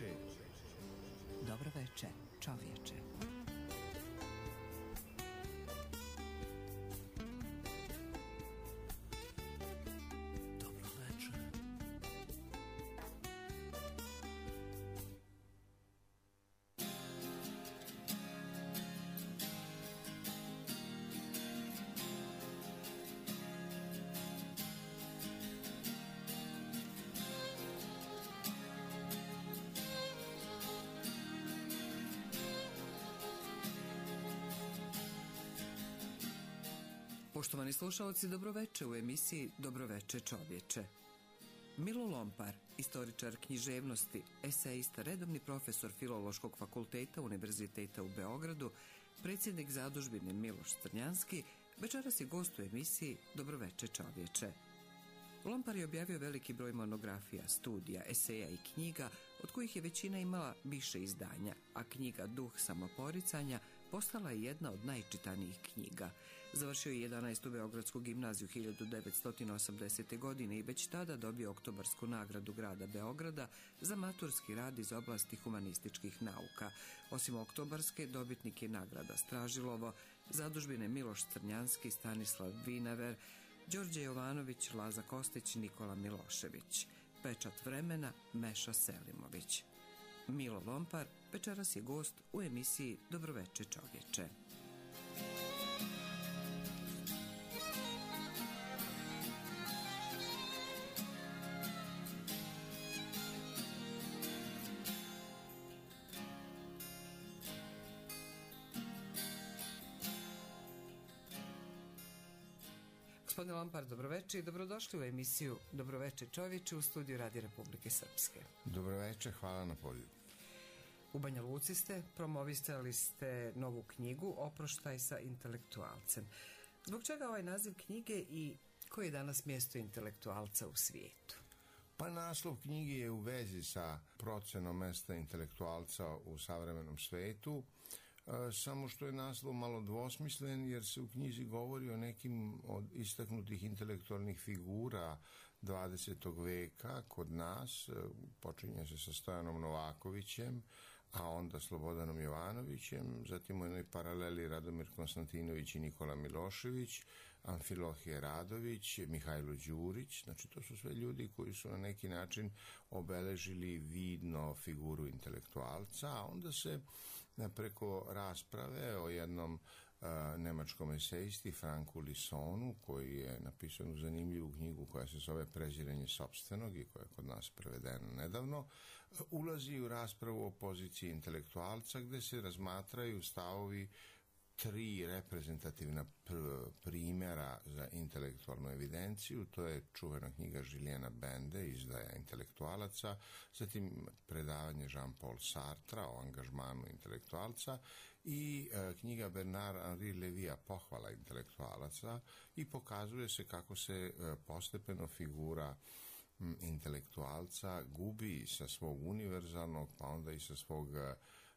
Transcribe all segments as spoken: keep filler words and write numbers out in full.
veče. Dobro veče, čovječe. Poštovani slušalci, dobroveče u emisiji Dobroveče čovječe. Milo Lompar, istoričar književnosti, esejista, redovni profesor Filološkog fakulteta Univerziteta u Beogradu, predsjednik zadužbine Miloš Crnjanski, večeras je gost u emisiji Dobroveče čovječe. Lompar je objavio veliki broj monografija, studija, eseja i knjiga, od kojih je većina imala više izdanja, a knjiga Duh samoporicanja postala je jedna od najčitanijih knjiga. Završio je jedanaestu Beogradsku gimnaziju hiljadu devetsto osamdesete. godine i već tada dobio Oktobarsku nagradu grada Beograda za maturski rad iz oblasti humanističkih nauka. Osim Oktobarske, dobitnik je nagrada Stražilovo, zadužbine Miloš Crnjanski, Stanislav Vinaver, Đorđe Jovanović, Laza Kostić, Nikola Milošević. Pečat vremena Meša Selimović. Milo Lompar večeras je gost u emisiji Dobroveče čovječe. Gospodine Lompar, dobroveče i dobrodošli u emisiju Dobroveče čovječe u studiju Radija Republike Srpske. Dobroveče, hvala na pozivu. U Banja Luci ste, promovisali ste novu knjigu Oproštaj sa intelektualcem. Zbog čega ovaj naziv knjige i koje je danas mjesto intelektualca u svijetu? Pa naslov knjige je u vezi sa procenom mesta intelektualca u savremenom svijetu. Samo što je naslov malo dvosmislen, jer se u knjizi govori o nekim od istaknutih intelektualnih figura dvadesetog veka kod nas. Počinje se sa Stojanom Novakovićem, a onda Slobodanom Jovanovićem, zatim u jednoj paraleli Radomir Konstantinović i Nikola Milošević, Amfilohije Radović, Mihajlo Đurić. Znači, to su sve ljudi koji su na neki način obeležili vidno figuru intelektualca, a onda se preko rasprave o jednom uh, nemačkom esejisti Franku Lisonu, koji je napisao jednu zanimljivu knjigu koja se zove Preziranje sopstvenog i koja je kod nas prevedena nedavno, uh, ulazi u raspravu o poziciji intelektualca, gde se razmatraju stavovi tri reprezentativna pr- primjera za intelektualnu evidenciju. To je čuvena knjiga Žilijana Bende, Izdaja intelektualaca, zatim predavanje Jean-Paul Sartra o angažmanu intelektualca i e, knjiga Bernard-Henri Levija Pohvala intelektualaca, i pokazuje se kako se e, postepeno figura intelektualca gubi sa svog univerzalnog, pa onda i sa svog,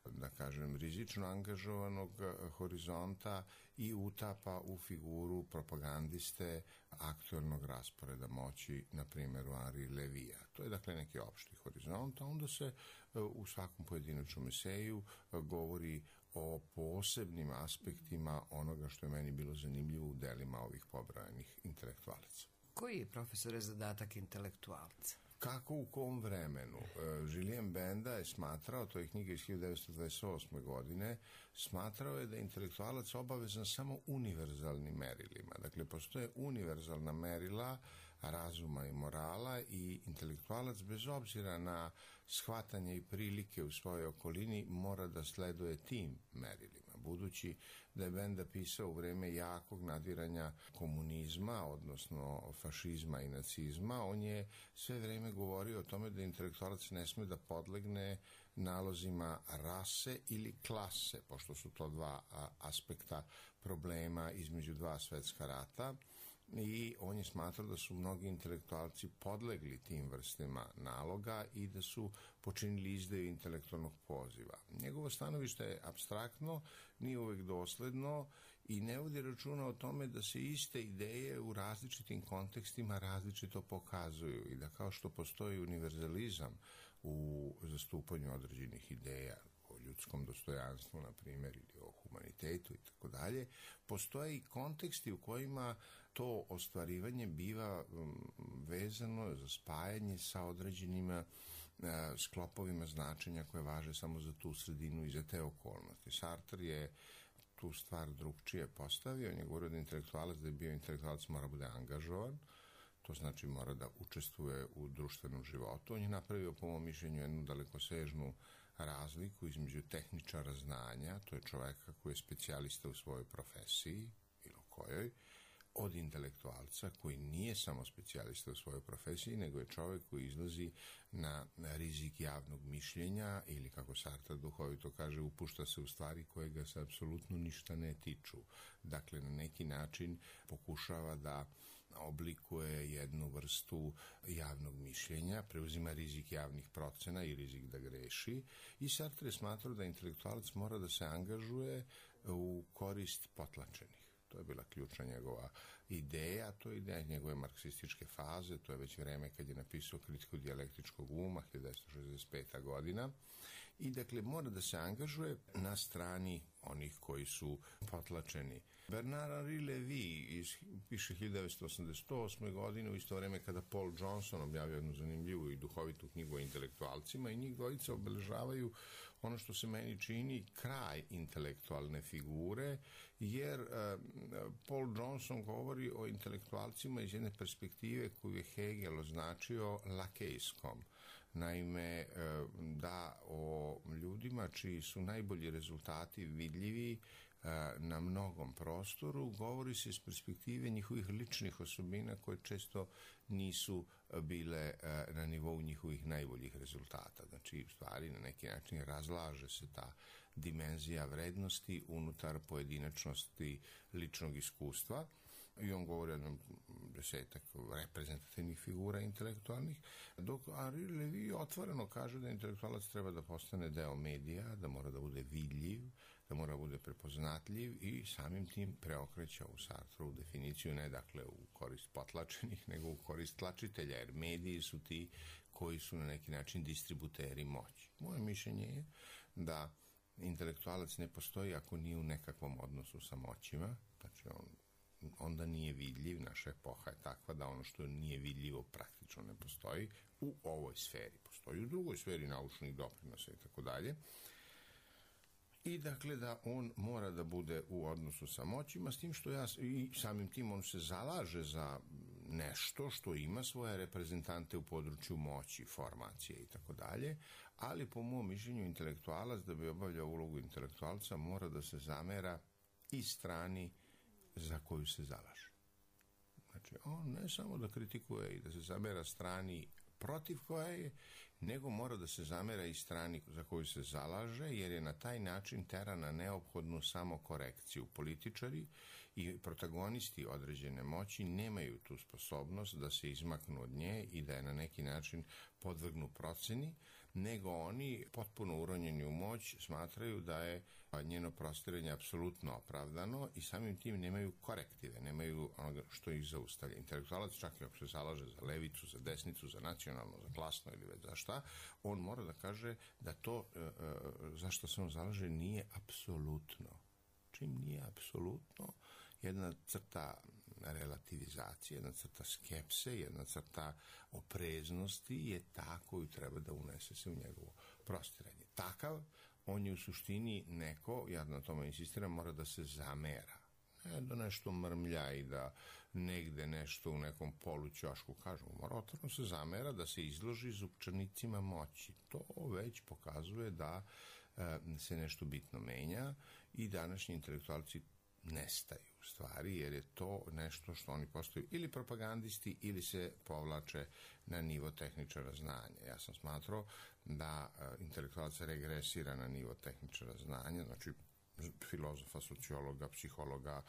da kažem, rizično angažovanog horizonta i utapa u figuru propagandiste aktualnog rasporeda moći, na primjeru Henri Levija. To je dakle neki opšti horizont, a onda se u svakom pojedinačnom eseju govori o posebnim aspektima onoga što je meni bilo zanimljivo u delima ovih pobrojanih intelektualaca. Koji je, profesore, zadatak intelektualca? Kako u kom vremenu? Julien Benda je smatrao, to je knjiga iz hiljadu devetsto dvadeset osme. godine, smatrao je da je intelektualac obavezan samo univerzalnim merilima. Dakle, postoje univerzalna merila razuma i morala i intelektualac, bez obzira na shvatanje i prilike u svojoj okolini, mora da sleduje tim merilima. Budući da je Benda pisao u vreme jakog nadiranja komunizma, odnosno fašizma i nacizma, on je sve vreme govorio o tome da intelektualac ne sme da podlegne nalozima rase ili klase, pošto su to dva aspekta problema između dva svetska rata, i on je smatrao da su mnogi intelektualci podlegli tim vrstima naloga i da su počinili izdaju intelektualnog poziva. Njegovo stanovište je apstraktno, nije uvek dosledno i ne vodi računa o tome da se iste ideje u različitim kontekstima različito pokazuju i da kao što postoji univerzalizam u zastupanju određenih ideja o ljudskom dostojanstvu, na primjer, ili o humanitetu i tako dalje, postoje i konteksti u kojima to ostvarivanje biva vezano za spajanje sa određenim sklopovima značenja koje važe samo za tu sredinu i za te okolnosti. Sartre je tu stvar drugčije postavio. On je govorio da intelektualac, da je bio intelektualac, mora bude angažovan, to znači mora da učestvuje u društvenom životu. On je napravio, po mom mišljenju, jednu dalekosežnu razliku između tehničara znanja, to je čoveka koji je specijalista u svojoj profesiji, bilo kojoj, od intelektualca koji nije samo specijalista u svojoj profesiji, nego je čovek koji izlazi na rizik javnog mišljenja ili, kako Sartre duhovito kaže, upušta se u stvari koje ga se apsolutno ništa ne tiču. Dakle, na neki način pokušava da oblikuje jednu vrstu javnog mišljenja, preuzima rizik javnih procena i rizik da greši, i Sartre je smatrao da intelektualac mora da se angažuje u korist potlačenih. To je bila ključna njegova ideja, to je ideja njegove marksističke faze, to je već vreme kad je napisao Kritiku dijalektičkog uma, hiljadu devetsto šezdeset peta godina, i dakle mora da se angažuje na strani onih koji su potlačeni. Bernard Henri Lévy piše hiljadu devetsto osamdeset osme godine, u isto vreme kada Paul Johnson objavio jednu zanimljivu i duhovitu knjigu o intelektualcima, i njih dvojica obeležavaju ono što se meni čini kraj intelektualne figure, jer uh, Paul Johnson govori o intelektualcima iz jedne perspektive koju je Hegel označio lakejskom. Naime, da o ljudima čiji su najbolji rezultati vidljivi na mnogom prostoru, govori se iz perspektive njihovih ličnih osobina koje često nisu bile na nivou njihovih najboljih rezultata. Znači, u stvari, na neki način razlaže se ta dimenzija vrednosti unutar pojedinačnosti ličnog iskustva. I on govori o jednom desetak reprezentativnih figura intelektualnih, dok Henri Lévy otvoreno kaže da intelektualac treba da postane deo medija, da mora da bude vidljiv, da mora da bude prepoznatljiv, i samim tim preokreća u Sartrovu definiciju, ne dakle u korist potlačenih, nego u korist tlačitelja, jer mediji su ti koji su na neki način distributeri moći. Moje mišljenje je da intelektualac ne postoji ako nije u nekakvom odnosu sa moćima, znači on onda nije vidljiv. Naša epoha je takva da ono što nije vidljivo praktično ne postoji u ovoj sferi. Postoji u drugoj sferi naučnih doprinosa i tako dalje. I dakle da on mora da bude u odnosu sa moćima, s tim što ja, i samim tim on se zalaže za nešto što ima svoje reprezentante u području moći, formacije i tako dalje, ali po mom mišljenju intelektualac, da bi obavljao ulogu intelektualca, mora da se zamera i strani za koju se zalaže. Znači, on ne samo da kritikuje i da se zamera strani protiv koje je, nego mora da se zamera i strani za koju se zalaže, jer je na taj način tera na neophodnu samokorekciju. Političari i protagonisti određene moći nemaju tu sposobnost da se izmaknu od nje i da je na neki način podvrgnu proceni, nego oni, potpuno uronjeni u moć, smatraju da je njeno prostiranje apsolutno opravdano i samim tim nemaju korektive, nemaju onoga što ih zaustavlja. Intelektualac, čak i ako se zalaže za levicu, za desnicu, za nacionalno, za klasno ili već za šta, on mora da kaže da to za što se on zalaže nije apsolutno. Čim nije apsolutno, jedna crta relativizacije, jedna crta skepse, jedna crta opreznosti je ta koju treba da unese se u njegovo prostiranje. Takav, on je u suštini neko, ja na tome insistiram, mora da se zamera. Ne da nešto mrmlja i da negde nešto u nekom polućošku kažemo, mora otvoreno se zamera, da se izloži zupčanicima moći. To već pokazuje da e, se nešto bitno menja i današnji intelektualci nestaju u stvari, jer je to nešto što oni postaju ili propagandisti ili se povlače na nivo tehničara znanja. Ja sam smatrao da uh, intelektualac regresira na nivo tehničara znanja, znači filozofa, sociologa, psihologa,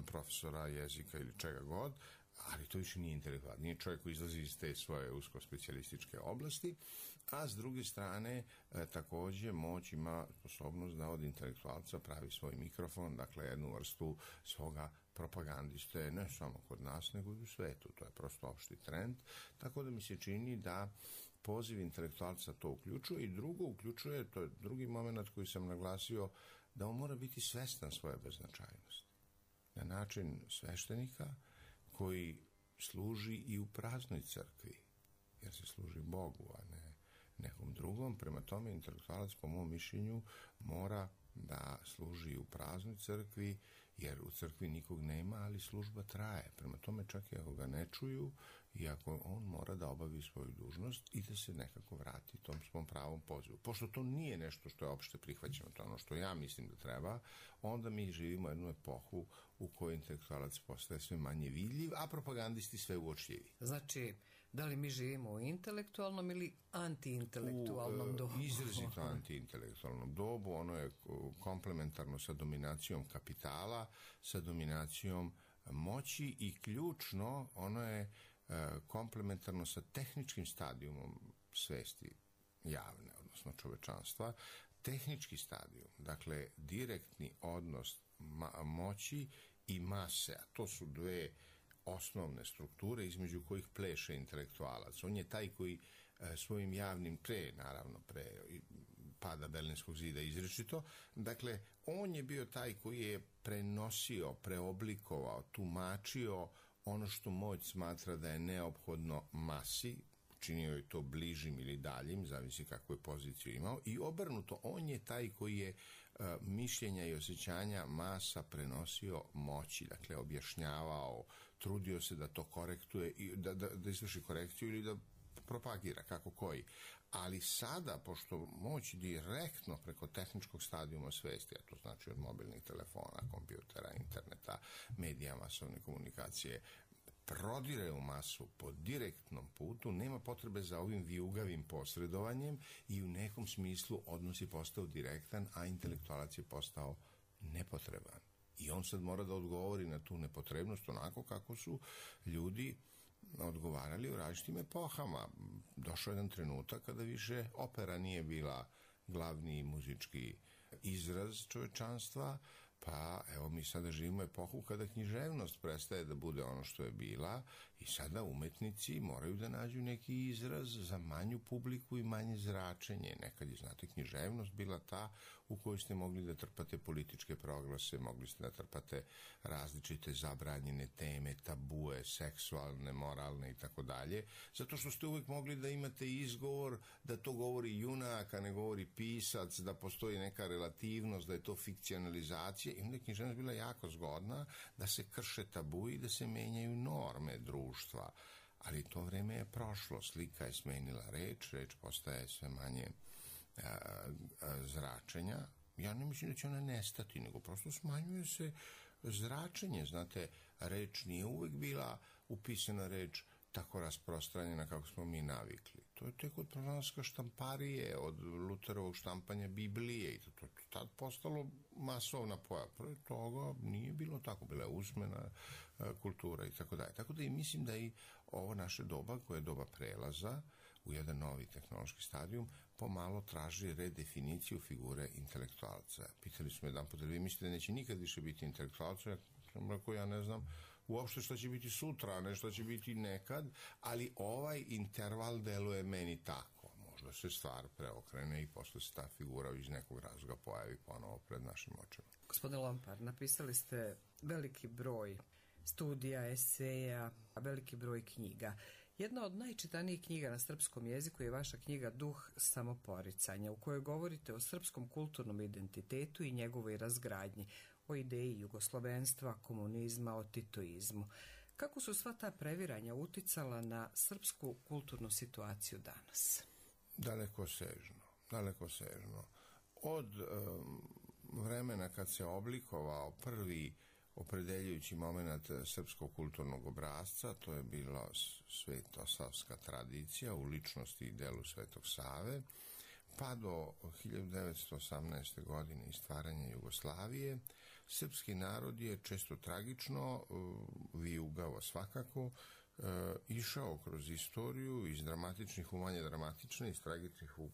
profesora jezika ili čega god, ali to više nije intelektualac, nije čovjek koji izlazi iz te svoje usko specijalističke oblasti, a s druge strane e, također moć ima sposobnost da od intelektualca pravi svoj mikrofon, dakle jednu vrstu svoga propagandiste, ne samo kod nas, nego i u svetu. To je prosto opšti trend, tako da mi se čini da poziv intelektualca to uključuje i drugo uključuje, to je drugi moment koji sam naglasio, da on mora biti svestan svoje beznačajnosti. Na način sveštenika koji služi i u praznoj crkvi, jer se služi Bogu, a ne nekom drugom. Prema tome, intelektualac, po mom mišljenju, mora da služi i u praznoj crkvi, jer u crkvi nikog nema, ali služba traje. Prema tome, čak i ako ga ne čuju, i ako on mora da obavi svoju dužnost i da se nekako vrati tom svom pravom pozivu. Pošto to nije nešto što je opšte prihvaćeno, to je ono što ja mislim da treba, onda mi živimo jednu epohu u kojoj intelektualac postaje sve manje vidljiv, a propagandisti sve uočljivi. Znači, da li mi živimo u intelektualnom ili antiintelektualnom dobu? U izrazito antiintelektualnom dobu. Ono je komplementarno sa dominacijom kapitala, sa dominacijom moći i ključno, ono je komplementarno sa tehničkim stadijumom svesti javne, odnosno čovečanstva. Tehnički stadijum, dakle direktni odnos ma- moći i mase, a to su dve osnovne strukture između kojih pleše intelektualac. On je taj koji e, svojim javnim, pre, naravno, pre pada Berlinskog zida izrečito, dakle, on je bio taj koji je prenosio, preoblikovao, tumačio ono što moć smatra da je neophodno masi, činio je to bližim ili daljim, zavisi kakvu je poziciju imao, i obrnuto, on je taj koji je uh, mišljenja i osjećanja masa prenosio moći, dakle, objašnjavao, trudio se da to korektuje, i da, da, da izvrši korekciju ili da propagira, kako koji. Ali sada, pošto moć direktno preko tehničkog stadijuma svesti, a to znači od mobilnih telefona, kompjutera, interneta, medija, masovne komunikacije, prodire u masu po direktnom putu, nema potrebe za ovim vijugavim posredovanjem i u nekom smislu odnos je postao direktan, a intelektualac je postao nepotreban. I on sad mora da odgovori na tu nepotrebnost onako kako su ljudi odgovarali u različitim epohama. Došao je jedan trenutak kada više opera nije bila glavni muzički izraz čovečanstva, pa evo mi sada živimo epohu kada književnost prestaje da bude ono što je bila i sada umetnici moraju da nađu neki izraz za manju publiku i manje zračenje. Nekad je, znate, književnost bila ta u kojoj ste mogli da trpate političke proglase, mogli ste da trpate različite zabranjene teme, tabue, seksualne, moralne i tako dalje, zato što ste uvek mogli da imate izgovor da to govori junak, a ne govori pisac, da postoji neka relativnost, da je to fikcionalizacija, i onda je književnost bila jako zgodna da se krše tabu i da se menjaju norme društva. Ali to vreme je prošlo, slika je smenila reč, reč postaje sve manje a, a, zračenja. Ja ne mislim da će ona nestati, nego prosto smanjuje se zračenje. Znate, reč nije uvek bila upisana reč tako rasprostranjena kako smo mi navikli. To je tek od pronalaska štamparije, od Luterovog štampanja Biblije i to, to je tad postalo masovna pojava. Prvo toga nije bilo tako, bila je usmena kultura i tako dalje. Tako da i mislim da i ovo naše doba, koje je doba prelaza u jedan novi tehnološki stadijum, pomalo traži redefiniciju figure intelektualca. Pitali smo jedan put, da vi mislite da neće nikad više biti intelektualca? Ja sam rekao, ja ne znam uopšte što će biti sutra, a ne što će biti nekad, ali ovaj interval deluje meni tako. Možda se stvar preokrene i posle se ta figura iz nekog razloga pojavi ponovo pred našim očima. Gospodine Lompar, napisali ste veliki broj studija, eseja, veliki broj knjiga. Jedna od najčitanijih knjiga na srpskom jeziku je vaša knjiga Duh samoporicanja, u kojoj govorite o srpskom kulturnom identitetu i njegovoj razgradnji, o ideji jugoslovenstva, komunizma, o titoizmu. Kako su sva ta previranja uticala na srpsku kulturnu situaciju danas? Daleko sežno, daleko sežno. Od um, vremena kad se oblikovao prvi opredeljujući moment srpskog kulturnog obrazca, to je bila svetosavska tradicija u ličnosti i delu Svetog Save, pa do hiljadu devetsto osamnaeste. godine i stvaranja Jugoslavije, srpski narod je često tragično, vijugavo svakako, išao kroz istoriju iz dramatičnih u manje dramatične, iz tragičnih u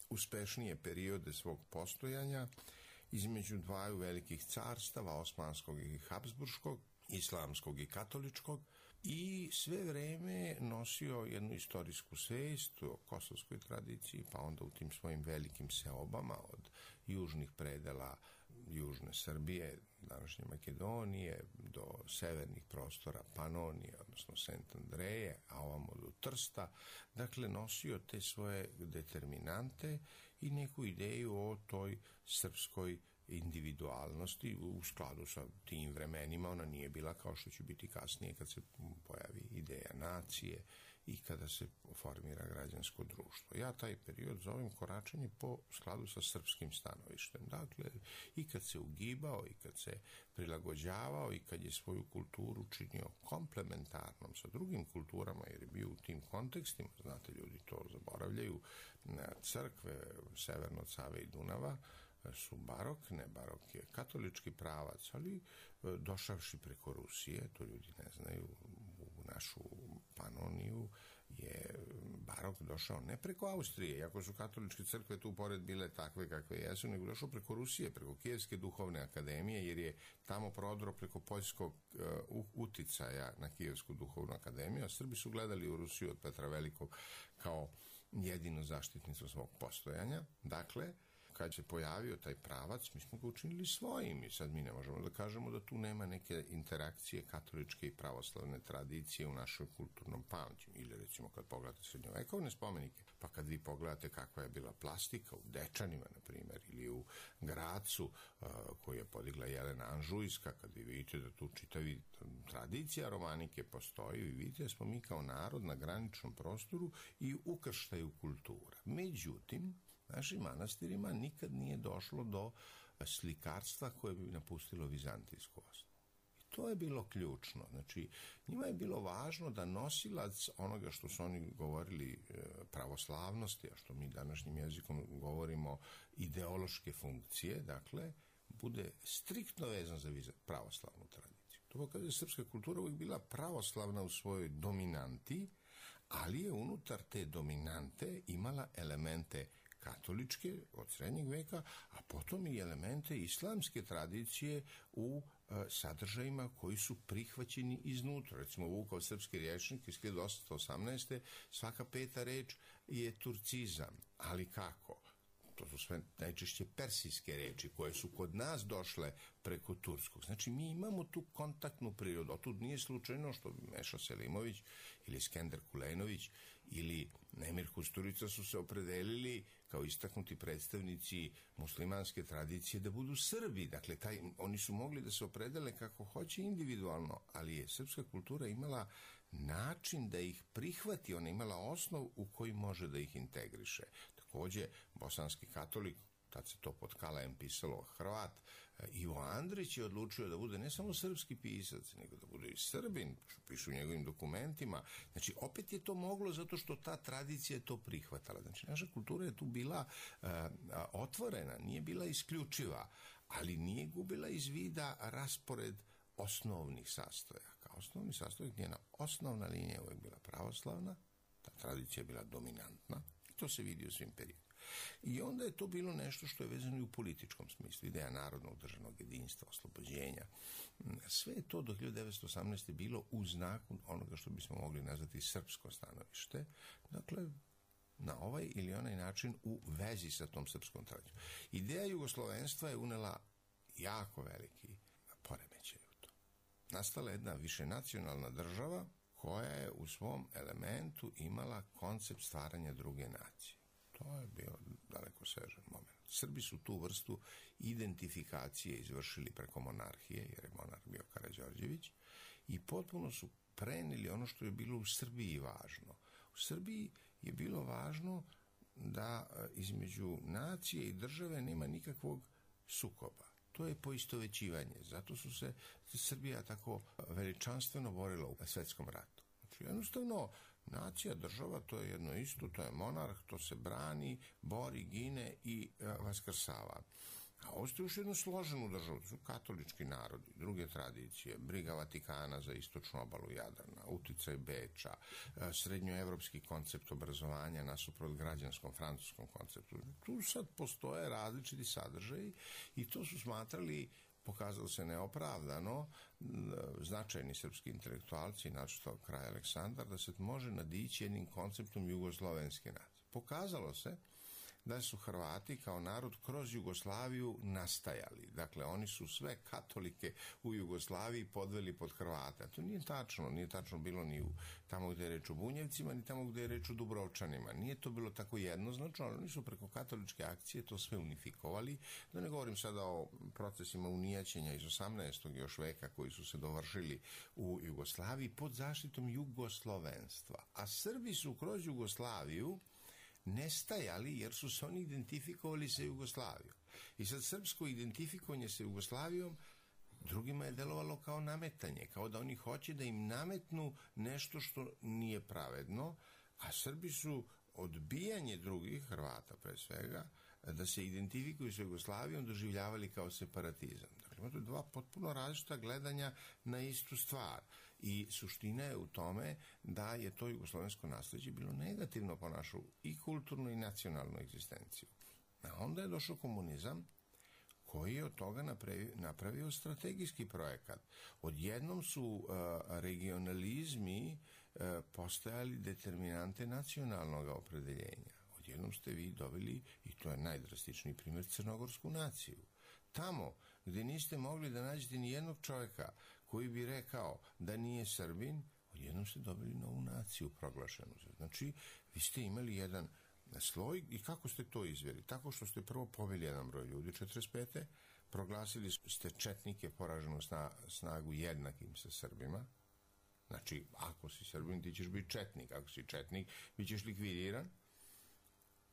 uspešnije periode svog postojanja, između dvaju velikih carstava, Osmanskog i Habsburškog, islamskog i katoličkog, i sve vreme nosio jednu istorijsku svest o kosovskoj tradiciji, pa onda u tim svojim velikim seobama od južnih predela južne Srbije, današnje Makedonije, do severnih prostora Panonije, odnosno Sent Andreje, a ovamo do Trsta, dakle nosio te svoje determinante i neku ideju o toj srpskoj individualnosti u skladu sa tim vremenima. Ona nije bila kao što će biti kasnije kad se pojavi ideja nacije i kada se formira građansko društvo. Ja taj period zovem koračanje po skladu sa srpskim stanovištem. Dakle, i kad se ugibao, i kad se prilagođavao, i kad je svoju kulturu činio komplementarnom sa drugim kulturama, jer je bio u tim kontekstima, znate, ljudi to zaboravljaju, crkve severno od Save i Dunava su barok, ne barok je katolički pravac, ali došavši preko Rusije, to ljudi ne znaju, u našu Panoniju je barok došao ne preko Austrije, iako su katoličke crkve tu pored bile takve kakve jesu, nego došao preko Rusije, preko Kijevske duhovne akademije, jer je tamo prodro preko poljskog uh, uticaja na Kijevsku duhovnu akademiju, a Srbi su gledali u Rusiju od Petra Velikog kao jedinu zaštitnicu svog postojanja. Dakle, kad se pojavio taj pravac, mi smo ga učinili svojim i sad mi ne možemo da kažemo da tu nema neke interakcije katoličke i pravoslavne tradicije u našoj kulturnom pamćenju. Ili recimo kad pogledate srednjovekovne spomenike, pa kad vi pogledate kakva je bila plastika u Dečanima, na primjer, ili u Gracu, uh, koju je podigla Jelena Anžujska, kad vi vidite da tu čitavi tradicija romanike postoji, vi vidite da smo mi kao narod na graničnom prostoru i ukrštaju kultura. Međutim, našim manastirima nikad nije došlo do slikarstva koje bi napustilo vizantijsku osnovu. I to je bilo ključno. Znači, njima je bilo važno da nosilac onoga što su oni govorili pravoslavnosti, a što mi današnjim jezikom govorimo ideološke funkcije, dakle, bude striktno vezan za pravoslavnu tradiciju. To pokazuje da je srpska kultura uvijek bila pravoslavna u svojoj dominanti, ali je unutar te dominante imala elemente katoličke od srednjeg veka, a potom i elemente islamske tradicije u e, sadržajima koji su prihvaćeni iznutra. Recimo, Vukov srpski rječnik iz hiljadu osamsto osamnaeste. svaka peta reč je turcizam. Ali kako? To su sve najčešće persijske reči koje su kod nas došle preko turskog. Znači, mi imamo tu kontaktnu prirodu. Otud nije slučajno što Meša Selimović ili Skender Kulenović ili Emir Kusturica su se opredelili kao istaknuti predstavnici muslimanske tradicije da budu Srbi. Dakle, taj, oni su mogli da se opredele kako hoće individualno, ali je srpska kultura imala način da ih prihvati, ona imala osnov u koji može da ih integriše. Takođe, bosanski katolik, tad se to pod Kalajem pisalo Hrvat, Ivo Andrić je odlučio da bude ne samo srpski pisac, nego da bude i Srbin, što pišu u njegovim dokumentima. Znači, opet je to moglo zato što ta tradicija je to prihvatala. Znači, naša kultura je tu bila uh, otvorena, nije bila isključiva, ali nije gubila iz vida raspored osnovnih sastojaka. Osnovni sastojak, njena osnovna linija je uvijek bila pravoslavna, ta tradicija je bila dominantna, i to se vidi u svim periodima. I onda je to bilo nešto što je vezano i u političkom smislu, ideja narodnog državnog jedinstva, oslobođenja. Sve je to do hiljadu devetsto osamnaeste. bilo u znaku onoga što bismo mogli nazvati srpsko stanovište, dakle, na ovaj ili onaj način u vezi sa tom srpskom tradicijom. Ideja jugoslovenstva je unela jako veliki poremećaj u to. Nastala jedna višenacionalna država koja je u svom elementu imala koncept stvaranja druge nacije. To je bio daleko sežan moment. Srbi su tu vrstu identifikacije izvršili preko monarhije, jer je monarh bio Karađorđević, i potpuno su preneli ono što je bilo u Srbiji važno. U Srbiji je bilo važno da između nacije i države nema nikakvog sukoba. To je poistovećivanje. Zato su se Srbija tako veličanstveno borila u svetskom ratu. Znači, jednostavno, nacija, država, to je jedno isto, to je monarh, to se brani, bori, gine i e, vaskrsava. A ovo ste još jednu složenu državu, to su katolički narodi, druge tradicije, briga Vatikana za istočnu obalu Jadrana, uticaj Beča, e, srednjoevropski koncept obrazovanja nasuprot građanskom francuskom konceptu. Tu sad postoje različiti sadržaji i to su smatrali pokazalo se neopravdano, značajni srpski intelektualci, naročito kralj Aleksandar, da se može nadići jednim konceptom jugoslovenske nacije. Pokazalo se da su Hrvati kao narod kroz Jugoslaviju nastajali. Dakle, oni su sve katolike u Jugoslaviji podveli pod Hrvata. To nije tačno. Nije tačno bilo ni u tamo gde je reč o Bunjevcima, ni tamo gde je reč o Dubrovčanima. Nije to bilo tako jednoznačno, ali oni su preko katoličke akcije to sve unifikovali. Da ne govorim sada o procesima unijaćenja iz osamnaestog još veka koji su se dovršili u Jugoslaviji pod zaštitom jugoslovenstva. A Srbi su kroz Jugoslaviju nestajali jer su se oni identifikovali sa Jugoslavijom. I sad srpsko identifikovanje sa Jugoslavijom drugima je delovalo kao nametanje, kao da oni hoće da im nametnu nešto što nije pravedno, a Srbi su odbijanje drugih, Hrvata pre svega, da se identifikuju sa Jugoslavijom doživljavali kao separatizam. Dakle, imate dva potpuno različita gledanja na istu stvar. I suština je u tome da je to jugoslovensko nasleđe bilo negativno po našu i kulturnu i nacionalnu egzistenciju. A onda je došao komunizam koji je od toga napravio, napravio strategijski projekat. Odjednom su uh, regionalizmi uh, postajali determinante nacionalnog opredeljenja. Odjednom ste vi dobili, i to je najdrastičniji primjer, crnogorsku naciju. Tamo gde niste mogli da nađete ni jednog čovjeka koji bi rekao da nije Srbin, odjednom ste dobili novu naciju proglašenu. Znači, vi ste imali jedan sloj i kako ste to izveli? Tako što ste prvo pobili jedan broj ljudi, četrdeset pete proglasili ste četnike poraženu snagu jednakim sa Srbima. Znači, ako si Srbin, ti ćeš biti četnik. Ako si četnik, bit ćeš likvidiran.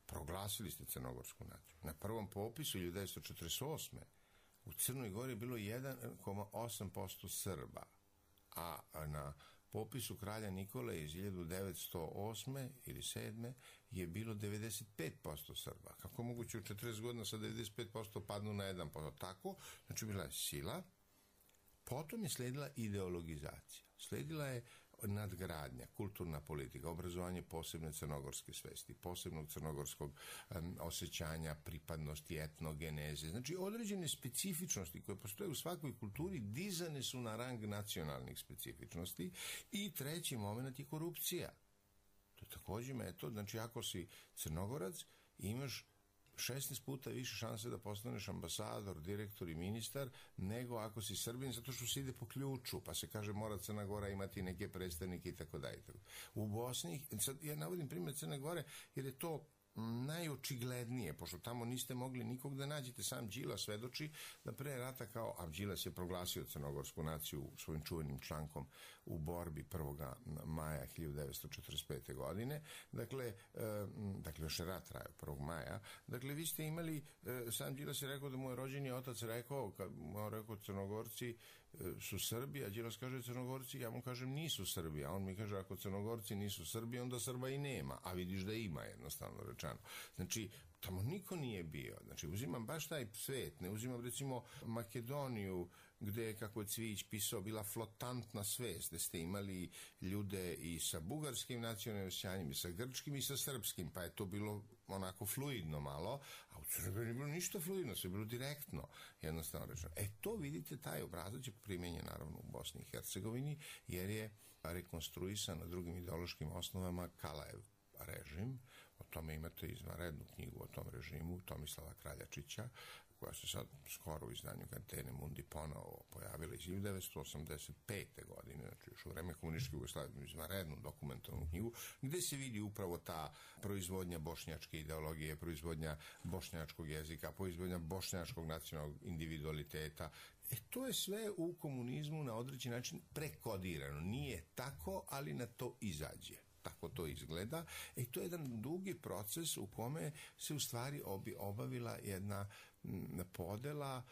Proglasili ste crnogorsku naciju. Na prvom popisu hiljadu devetsto četrdeset osme u Crnoj Gori je bilo jedan zarez osam posto Srba, a na popisu kralja Nikole iz hiljadu devetsto osme ili sedme je bilo devedeset pet posto Srba. Kako moguće u četrdeset godina sa devedeset pet posto padnu na jedan posto? Tako, znači bila je sila, potom je sledila ideologizacija, sledila je nadgradnja, kulturna politika, obrazovanje posebne crnogorske svesti, posebnog crnogorskog um, osjećanja, pripadnosti, etnogeneze. Znači, određene specifičnosti koje postoje u svakoj kulturi dizane su na rang nacionalnih specifičnosti. I treći moment je korupcija. To je također metod. Znači, ako si Crnogorac, imaš šesnaest puta više šanse da postaneš ambasador, direktor i ministar, nego ako si Srbin, zato što se ide po ključu, pa se kaže mora Crna Gora imati neke predstavnike i tako dalje. U Bosni, sad ja navodim primjer Crne Gore, jer je to najočiglednije, pošto tamo niste mogli nikog da nađete. Sam Đilas svedoči da pre rata kao, a Đilas je proglasio crnogorsku naciju svojim čuvenim člankom u borbi prvog maja hiljadu devetsto četrdeset pete godine, dakle, e, dakle još je rat trajao prvog maja, dakle vi ste imali, e, sam Đilas je rekao da mu je rođeni otac rekao, kad mu je rekao Crnogorci su Srbi, a Đilas kaže Crnogorci, ja mu kažem nisu Srbi, a on mi kaže ako Crnogorci nisu Srbi, onda Srba i nema, a vidiš da ima, jednostavno rečeno. Znači, tamo niko nije bio. Znači, uzimam baš taj svet, ne uzimam recimo Makedoniju, gde je, kako je Cvijić pisao, bila flotantna svest, gde ste imali ljude i sa bugarskim nacionalnim osjećanjem, i sa grčkim, i sa srpskim, pa je to bilo onako fluidno malo, a u Crnoj Gori nije bilo ništa fluidno, sve je bilo direktno, jednostavno rečeno. E, to vidite, taj obrazac je primenjen naravno u Bosni i Hercegovini, jer je rekonstruisan na drugim ideološkim osnovama Kalajev režim. O tome imate izvanrednu knjigu o tom režimu Tomislava Kraljačića, koja se sad skoro u izdanju Catene Mundi ponovo pojavila iz hiljadu devetsto osamdeset pete godine, znači još u vreme komunističke Jugoslavije, izvanrednu dokumentarnu knjigu, gde se vidi upravo ta proizvodnja bošnjačke ideologije, proizvodnja bošnjačkog jezika, proizvodnja bošnjačkog nacionalnog individualiteta. E, to je sve u komunizmu na određen način prekodirano. Nije tako, ali na to izađe. Tako to izgleda. I to je jedan dugi proces u kome se u stvari obi, obavila jedna podela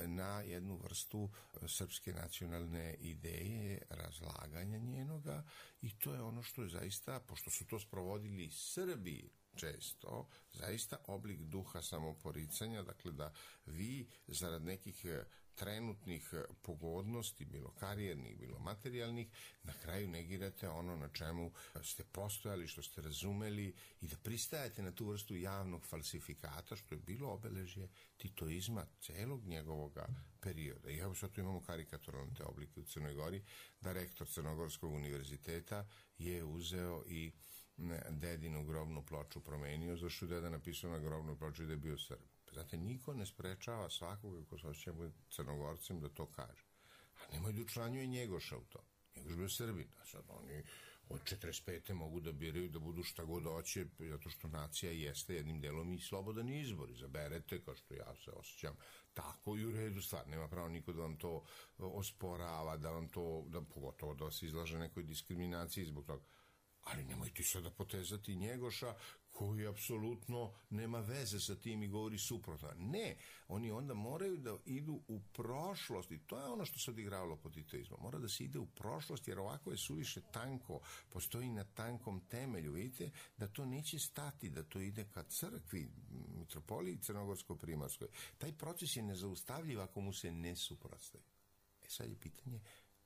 na jednu vrstu srpske nacionalne ideje, razlaganja njenoga, i to je ono što je zaista, pošto su to sprovodili Srbi, često zaista oblik duha samoporicanja, dakle da vi zarad nekih trenutnih pogodnosti, bilo karijernih, bilo materijalnih, na kraju negirate ono na čemu ste postojali, što ste razumeli i da pristajete na tu vrstu javnog falsifikata, što je bilo obeležje titoizma celog njegovog perioda. I evo sad tu imamo karikaturalne te oblike u Crnoj Gori, da rektor Crnogorskog univerziteta je uzeo i dedinu grobnu ploču promenio, zašto je deda napisao na grobnoj ploči da je bio Srb. Znate, niko ne sprečava svakoga ko se osjeća Crnogorcem da to kaže. A nemoj da učlanjuje Njegoša u to. Njegoš bio Srbin. A sad oni od četrdeset pete mogu da biraju da budu šta god hoće, zato što nacija jeste jednim delom i slobodan izbor. Izaberete, kao što ja se osjećam, tako i u redu stvar. Nema pravo niko da vam to osporava, da vam to, da, pogotovo da vas izlaže nekoj diskriminaciji zbog toga. Ali nemojte sada potezati Njegoša koji apsolutno nema veze sa tim i govori suprotno. Ne, oni onda moraju da idu u prošlost i to je ono što se odigravalo pod titoizmom. Mora da se ide u prošlost jer ovako je suviše tanko, postoji na tankom temelju. Vidite da to neće stati, da to ide ka crkvi, mitropoliji Crnogorsko-Primarskoj. Taj proces je nezaustavljiv ako mu se ne suprotstavi. E sad je pitanje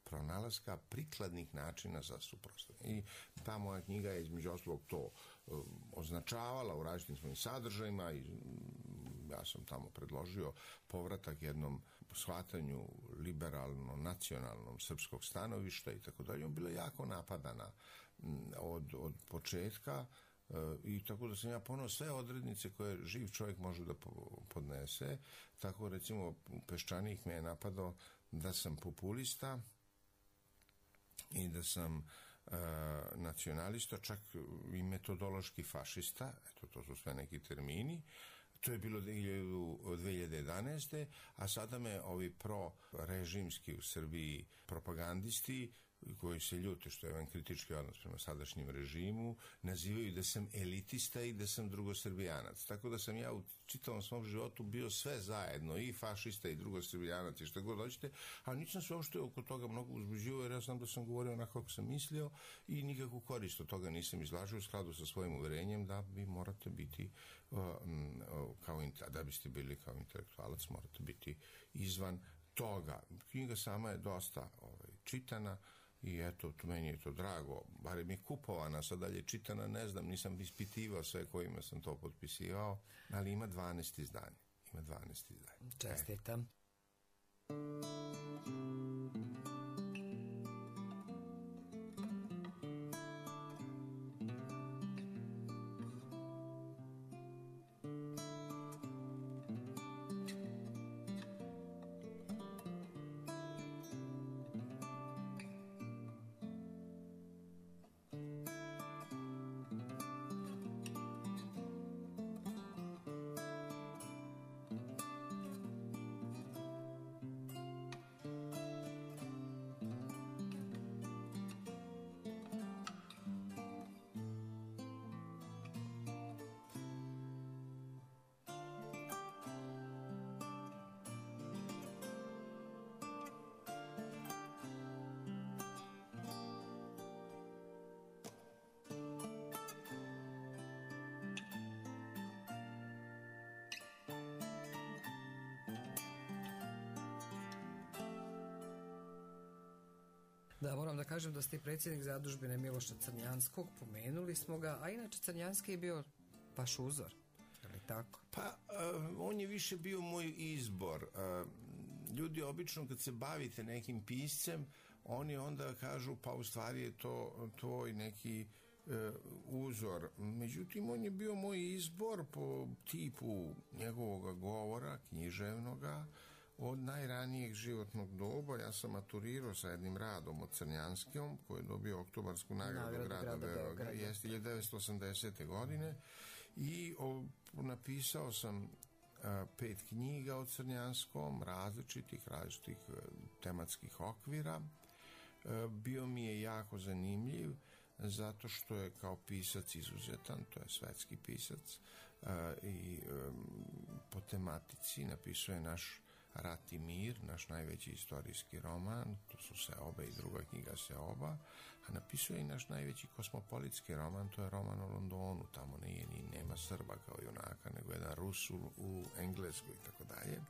pronalaska prikladnih načina za suprotstavljanje. I ta moja knjiga je između ostalog to um, označavala u različitim svojim sadržajima i um, ja sam tamo predložio povratak jednom shvatanju liberalno-nacionalnom srpskog stanovišta i tako dalje. Bila je jako napadana um, od, od početka uh, i tako da sam ja ponovno sve odrednice koje živ čovjek može da podnese. Tako recimo Peščanik me je napadao da sam populista i da sam e, nacionalista, čak i metodološki fašista, eto to su sve neki termini, to je bilo dve hiljade jedanaeste. a sada me ovi pro-režimski u Srbiji propagandisti koji se ljute što je jedan kritički odnos prema sadašnjem režimu, nazivaju da sam elitista i da sam drugosrbijanac. Tako da sam ja u čitavom svom životu bio sve zajedno, i fašista i drugosrbijanac i što god hoćete, a nisam se uopšte oko toga mnogo uzbuđivao jer ja znam da sam govorio onako kako sam mislio i nikakvu korist od toga nisam izlažio u skladu sa svojim uverenjem da vi morate biti uh, uh, kao, da biste bili kao intelektualac, morate biti izvan toga. Knjiga sama je dosta ovaj, čitana, i eto, tu meni je to drago, barem je kupovana, sad dalje čitana, ne znam, nisam ispitivao sve kojima sam to potpisivao, ali ima dvanaest izdanja. Ima dvanaest izdanja. Čestitam. Da, moram da kažem da ste predsjednik zadužbine Miloša Crnjanskog, pomenuli smo ga, a inače Crnjanski je bio vaš uzor, je li tako? Pa, uh, on je više bio moj izbor. Uh, ljudi obično kad se bavite nekim piscem, oni onda kažu pa u stvari je to tvoj neki uh, uzor. Međutim, on je bio moj izbor po tipu njegovog govora, književnoga, od najranijeg životnog doba. Ja sam maturirao sa jednim radom od Crnjanskom, koji je dobio oktobarsku nagradu grada, grada Beograda, jeste hiljadu devetsto osamdesete. godine, i o, napisao sam a, pet knjiga o Crnjanskom, različitih, različitih a, tematskih okvira. A, bio mi je jako zanimljiv, zato što je kao pisac izuzetan, to je svetski pisac, a, i a, po tematici napisao je naš Rat i mir, naš najveći istorijski roman, to su Seoba i druga knjiga Seoba, a napisao je i naš najveći kosmopolitski roman, to je roman o Londonu, tamo nije ni nema Srba kao junaka, nego jedan Rus u, u Engleskoj i tako dalje.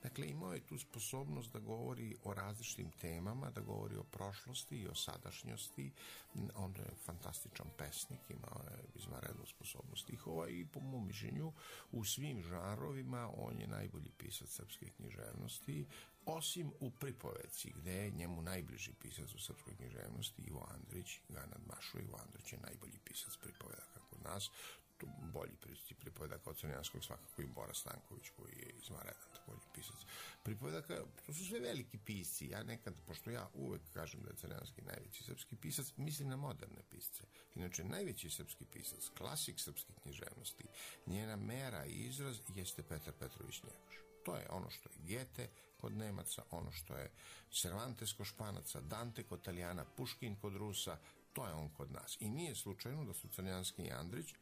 Dakle, imao je tu sposobnost da govori o različitim temama, da govori o prošlosti i o sadašnjosti. On je fantastičan pesnik, imao je izvanrednu sposobnost stihova i po mom mišljenju u svim žanrovima on je najbolji pisac srpske književnosti, osim u pripoveci, gde je njemu najbliži pisac u srpskoj književnosti Ivo Andrić, ga nadmašuje. Ivo Andrić je najbolji pisac pripovedaka kod nas, tu bolji pripovedaka od Crnjanskog svakako i Bora Stanković, koji je izvanredan također pisac pripovedaka. To su sve veliki pisci. Ja nekad, pošto ja uvek kažem da je Crnjanski najveći srpski pisac, mislim na moderne pisce. Inače, najveći srpski pisac, klasik srpske književnosti, njena mera i izraz jeste Petar Petrović Njegoš. To je ono što je Gete kod Nemaca, ono što je Cervantes kod Španaca, Dante kod Italijana, Puškin kod Rusa, to je on kod nas. I nije slučajno da su Crnjanski i Andrić,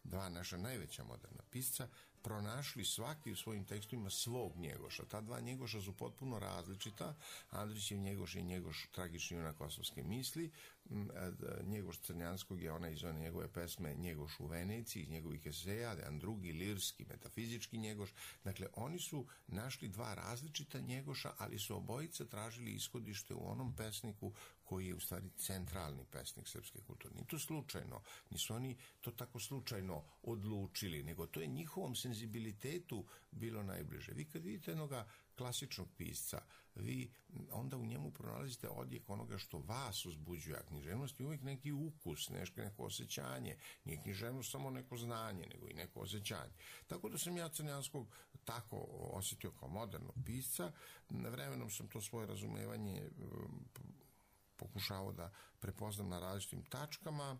dva naša najveća moderna pisca, pronašli svaki u svojim tekstovima svog Njegoša. Ta dva Njegoša su potpuno različita. Andrićev Njegoš je Njegoš tragični junak kosovske misli. Njegoš Crnjanskog je ona iz one njegove pesme Njegoš u Veneciji, iz njegovih eseja, jedan drugi lirski, metafizički Njegoš. Dakle, oni su našli dva različita Njegoša, ali su obojice tražili ishodište u onom pesniku koji je u stvari centralni pesnik srpske kulture. Nije to slučajno, nisu oni to tako slučajno odlučili, nego to je njihovom senzibilitetu bilo najbliže. Vi kad vidite jednoga klasičnog pisca, vi onda u njemu pronalazite odjek onoga što vas uzbuđuje, a književnost je uvijek neki ukus, nešto, neko osjećanje. Nije književnost samo neko znanje, nego i neko osjećanje. Tako da sam ja Crnjanskog tako osjetio kao modernog pisca. Vremenom sam to svoje razumevanje pokušao da prepoznam na različitim tačkama.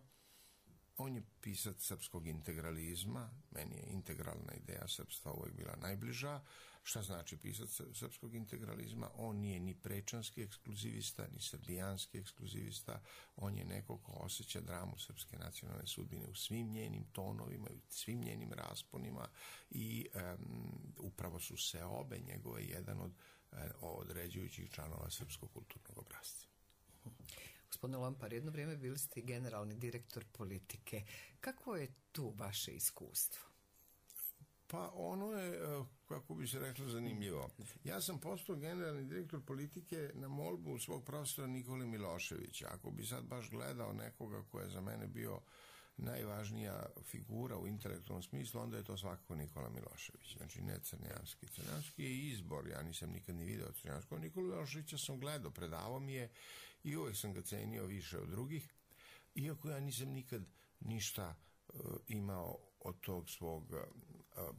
On je pisac srpskog integralizma, meni je integralna ideja srpstva uvijek bila najbliža. Šta znači pisac srpskog integralizma? On nije ni prečanski ekskluzivista, ni srbijanski ekskluzivista, on je neko ko osjeća dramu srpske nacionalne sudbine u svim njenim tonovima, u svim njenim rasponima i um, upravo su se obe njegove jedan od uh, određujućih članova srpskog kulturnog obrasca. Gospodine Lompar, jedno vrijeme bili ste generalni direktor politike. Kakvo je tu vaše iskustvo? Pa ono je, kako bi se reklo, zanimljivo. Ja sam postao generalni direktor politike na molbu svog profesora Nikole Miloševića. Ako bi sad baš gledao nekoga ko je za mene bio najvažnija figura u intelektualnom smislu, onda je to svakako Nikola Milošević. Znači, ne Crnjanski. Crnjanski je izbor, ja nisam nikad ni video Crnjanskog. Nikola Miloševića sam gledao, predavao mi je i uvijek sam ga cenio više od drugih, iako ja nisam nikad ništa uh, imao od tog svog uh,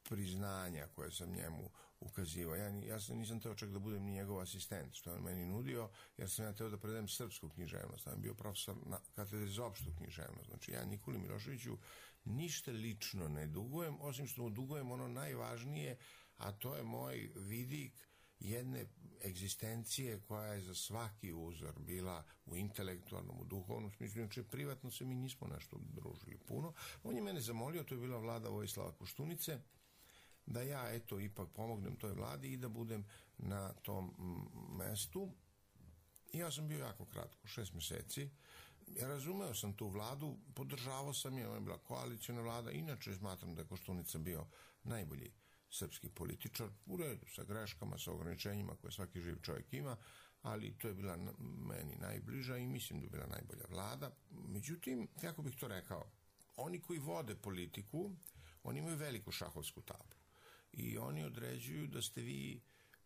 priznanja koje sam njemu ukazivao. Ja, ja sam, nisam teo čak da budem ni njegov asistent, što je on meni nudio, jer sam ja teo da predajem srpsku književnost. Sam bio profesor na katedri za opštu književnost. Znači, ja Nikoli Miloševiću ništa lično ne dugujem, osim što mu dugujem ono najvažnije, a to je moj vidik jedne egzistencije koja je za svaki uzor bila u intelektualnom, u duhovnom smislu. Znači, privatno se mi nismo nešto družili puno. On je mene zamolio, to je bila vlada Vojislava Koštunice, da ja, eto, ipak pomognem toj vladi i da budem na tom mestu. I ja sam bio jako kratko, šest mjeseci. Ja razumeo sam tu vladu, podržavao sam je, ona je bila koalicijna vlada. Inače, smatram da je Koštunica bio najbolji srpski političar, u redu, sa greškama, sa ograničenjima koje svaki živ čovjek ima, ali to je bila meni najbliža i mislim da je bila najbolja vlada. Međutim, kako bih to rekao, oni koji vode politiku, oni imaju veliku šahovsku tablu i oni određuju da ste vi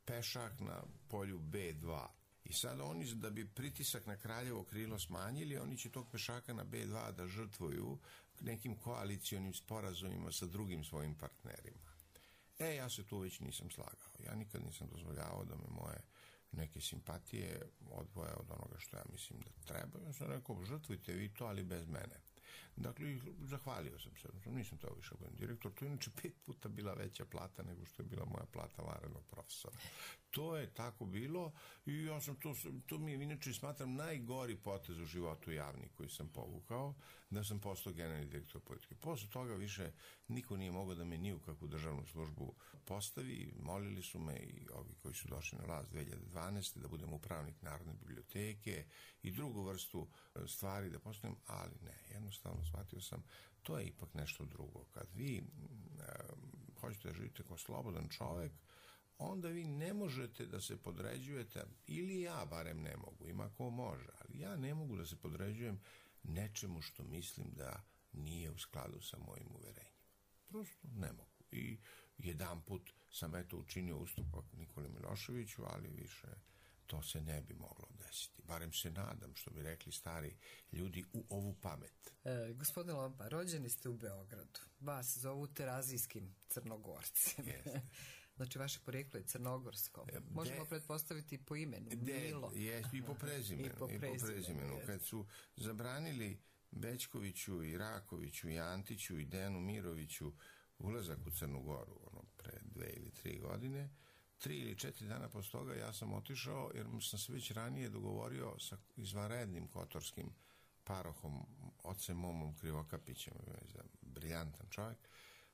pešak na polju be dva. I sad oni, da bi pritisak na kraljevo krilo smanjili, oni će tog pešaka na be dva da žrtvuju nekim koalicionim sporazumima sa drugim svojim partnerima. E, ja se tu već nisam slagao. Ja nikad nisam dozvoljavao da me moje neke simpatije odvoje od onoga što ja mislim da treba. Ja sam rekao, žrtvujte vi to, ali bez mene. Dakle, zahvalio sam se, nisam to više budem direktor, to je inače pet puta bila veća plata nego što je bila moja plata vanrednog profesora. To je tako bilo i ja sam to, to mi je inače smatram najgori potez u životu javni koji sam povukao, da sam postao generalni direktor politike. Posle toga više niko nije mogao da me ni u kakvu državnu službu postavi, molili su me i ovi koji su došli na vlast dve hiljade dvanaeste. da budem upravnik Narodne biblioteke i drugu vrstu stvari da postavim, ali ne, jednostavno shvatio sam, to je ipak nešto drugo. Kad vi e, hoćete da živite kao slobodan čovek, onda vi ne možete da se podređujete, ili ja barem ne mogu, ima ko može, ali ja ne mogu da se podređujem nečemu što mislim da nije u skladu sa mojim uverenjima. Prosto ne mogu. I jedan put sam eto učinio ustupak Nikoli Miloševiću, ali više to se ne bi moglo desiti. Barem se nadam, što bi rekli stari ljudi, u ovu pamet. E, gospodine Lompar, rođeni ste u Beogradu. Vas zovu terazijskim Crnogorcem. Jeste. Znači, vaše porijeklo je crnogorsko. Možemo de, pretpostaviti po imenu. De, Milo. Jest, i po prezimenu. I po prezimenu. I po prezimenu. Kad su zabranili Bećkoviću i Rakoviću i Antiću i Dejanu Miroviću ulazak u Crnu Goru, ono, pre dve ili tri godine, tri ili četiri dana posle toga ja sam otišao, jer sam se već ranije dogovorio sa izvanrednim kotorskim parohom, ocem Momom Krivokapićem, briljantan čovjek,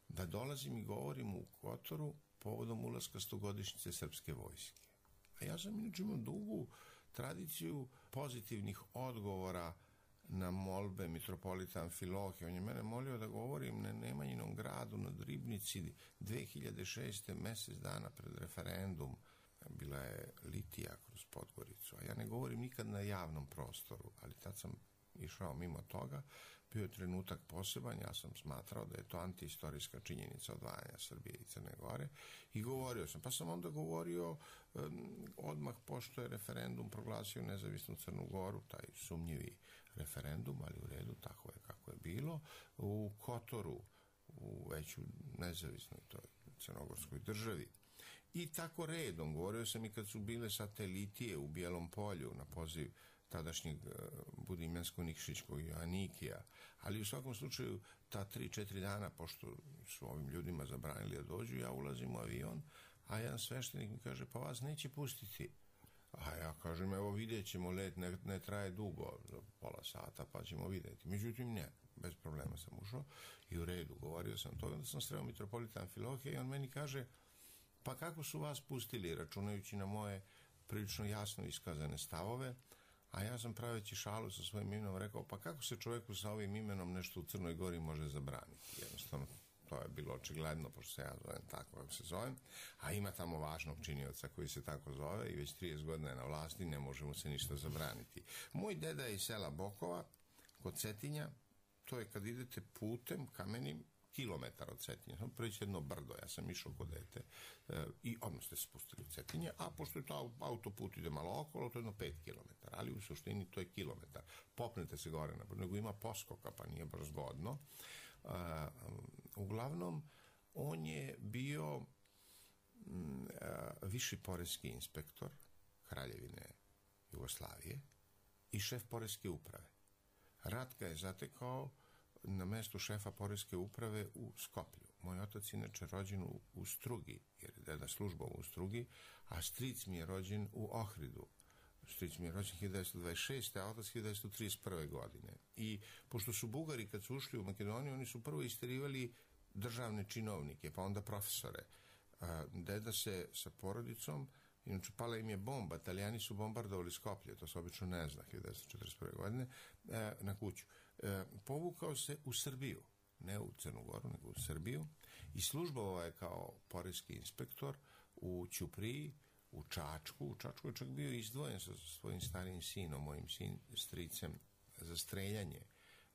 da dolazim i govorim u Kotoru povodom ulaska stogodišnjice srpske vojske. A ja sam inače imao dugu tradiciju pozitivnih odgovora na molbe mitropolita Amfilohija. On je mene molio da govorim na Nemanjinom gradu na Ribnici dve hiljade šeste. mesec dana pred referendum. Bila je litija kroz Podgoricu, a ja ne govorim nikad na javnom prostoru, ali tad sam išao mimo toga. Bio je trenutak poseban, ja sam smatrao da je to antiistorijska činjenica odvajanja Srbije i Crne Gore i govorio sam. Pa sam onda govorio um, odmah pošto je referendum proglasio nezavisnu Crnu Goru, taj sumnjivi referendum, ali u redu, tako je kako je bilo, u Kotoru, u veću nezavisnoj toj crnogorskoj državi. I tako redom, govorio sam i kad su bile satelitije u Bijelom Polju na poziv tadašnjeg Budimljansko-Nikšićkog Joannikija, ali u svakom slučaju ta tri, četiri dana, pošto su ovim ljudima zabranili da dođu, ja ulazim u avion, a jedan sveštenik mi kaže, pa vas neće pustiti. A ja kažem, evo vidjet ćemo, let ne, ne traje dugo, za pola sata, pa ćemo vidjeti. Međutim, ne, bez problema sam ušao i u redu, govorio sam to, onda sam sreo mitropolita Amfilohija i on meni kaže, pa kako su vas pustili, računajući na moje prilično jasno iskazane stavove, a ja sam praveći šalu sa svojim imenom rekao, pa kako se čovjeku sa ovim imenom nešto u Crnoj Gori može zabraniti? Jednostavno, to je bilo očigledno, pošto se ja zovem tako kako se zovem, a ima tamo važnog činioca koji se tako zove i već trideset godina je na vlasti, ne može mu se ništa zabraniti. Moj deda je iz sela Bokova, kod Cetinja, to je kad idete putem kamenim, kilometar od Cetinja, samo preći jedno brdo, ja sam išao kod dete e, i odmah ste se spustili u Cetinje, a pošto je to autoput ide malo okolo, to je jedno pet kilometara, ali u suštini to je kilometar. Popnete se gore, nego ima poskoka, pa nije baš zgodno. E, uglavnom, on je bio m, e, viši poreski inspektor Kraljevine Jugoslavije i šef poreske uprave. Rat ga je zatekao na mestu šefa poreske uprave u Skoplju. Moj otac inače rođen u, u Strugi, jer je deda službom u Strugi, a stric mi je rođen u Ohridu. Stric mi je rođen hiljadu devetsto dvadeset šeste. a otac hiljadu devetsto trideset prve. godine. I pošto su Bugari, kad su ušli u Makedoniju, oni su prvo isterivali državne činovnike, pa onda profesore. A, deda se sa porodicom, inače pala im je bomba, Italijani su bombardovali Skoplje, to se obično ne zna, hiljadu devetsto četrdeset prve. godine, e, na kuću. E, povukao se u Srbiju, ne u Crnu Goru, nego u Srbiju, i službovao je kao poreski inspektor u Ćupriji, u Čačku. U Čačku je čak bio izdvojen sa svojim starijim sinom, mojim sin, stricem, za streljanje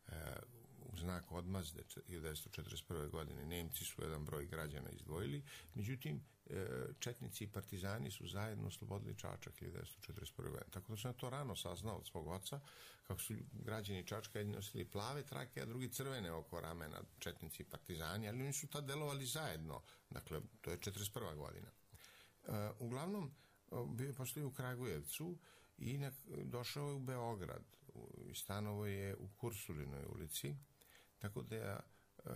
e, u znak odmazde hiljadu devetsto četrdeset prve. godine. Nemci su jedan broj građana izdvojili, međutim, e, četnici i partizani su zajedno oslobodili Čačak hiljadu devetsto četrdeset prve. godine. Tako da sam ja to rano saznao od svog oca, kako su građani Čačka jedni nosili plave trake, a drugi crvene oko ramena, četnici i partizani, ali oni su tad delovali zajedno. Dakle, to je četrdeset prva. godina. E, uglavnom, bio je postoji u Kragujevcu i došao je u Beograd. Stanovo je u Kursulinoj ulici Tako da ja,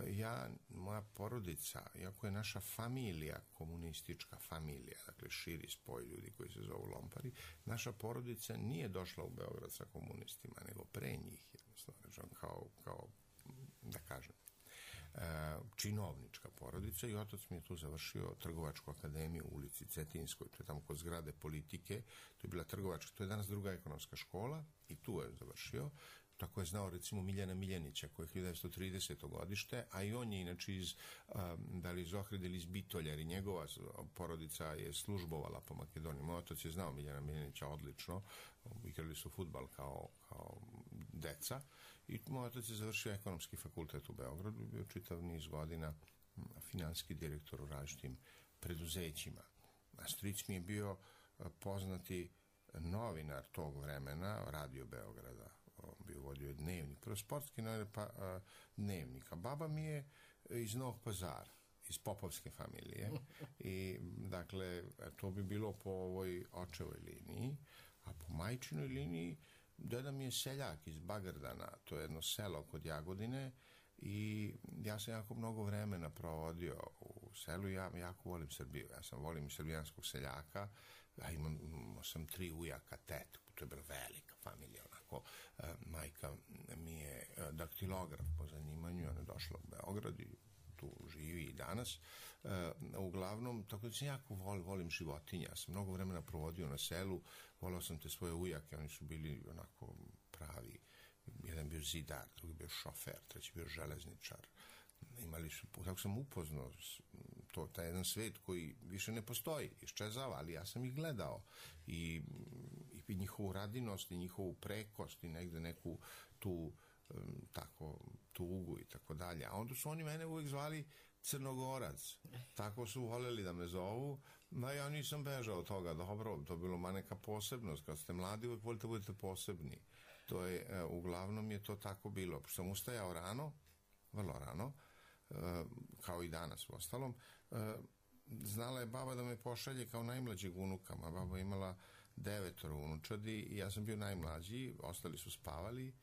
ja, moja porodica, iako je naša familija komunistička familija, dakle širi spoj ljudi koji se zovu Lompari, naša porodica nije došla u Beograd sa komunistima, nego pre njih, jednostavno, kao, kao da kažem, činovnička porodica i otac mi je tu završio Trgovačku akademiju u ulici Cetinskoj, to je tamo kod zgrade Politike, to je bila trgovačka, to je danas druga ekonomska škola i tu je završio. Tako je znao recimo Miljana Miljanića koji je hiljadu devetsto trideseto godište, a i on je inače iz, da li iz Ohrida ili iz Bitolja, jer i njegova porodica je službovala po Makedoniji. Moj otac je znao Miljana Miljanića odlično, igrali su fudbal kao, kao deca i moj otac je završio ekonomski fakultet u Beogradu i bio čitav niz godina finansijski direktor u različitim preduzećima. A stric mi je bio poznati novinar tog vremena, Radio Beograda, bio vodio dnevnik, prvo sportski novinar, pa a, dnevnik. A baba mi je iz Novog Pazara, iz popovske familije i dakle to bi bilo po ovoj očevoj liniji, a po majčinoj liniji deda mi je seljak iz Bagardana, to je jedno selo kod Jagodine i ja sam jako mnogo vremena provodio u selu i ja jako volim Srbiju, ja sam volim srbijanskog seljaka, ja imam, imam sam tri ujaka, tetku, to je bila velika familija, onako, e, majka mi je daktilograf po zanimanju, ona je došla u Beograd i tu živi i danas, e, uglavnom, tako da sam jako vol, volim životinja, ja sam mnogo vremena provodio na selu, volao sam te svoje ujake, oni su bili onako pravi, jedan bio zidar, drugi bio šofer, treći bio železničar, imali su, tako sam upoznao to, taj jedan svet koji više ne postoji, iščezava, ali ja sam ih gledao i, i njihovu radinost i njihovu prekost i negde neku tu tako tugu i tako dalje, a onda su oni mene uvijek zvali Crnogorac, tako su voljeli da me zovu, no ja nisam bežao od toga, dobro, to je bilo ma neka posebnost, kad ste mladi uvijek volite budete posebni, to je, uglavnom je to tako bilo, pošto sam ustajao rano, vrlo rano, kao i danas u ostalom, znala je baba da me pošalje kao najmlađeg unuka, a baba imala devetoro unučadi i ja sam bio najmlađi, ostali su spavali,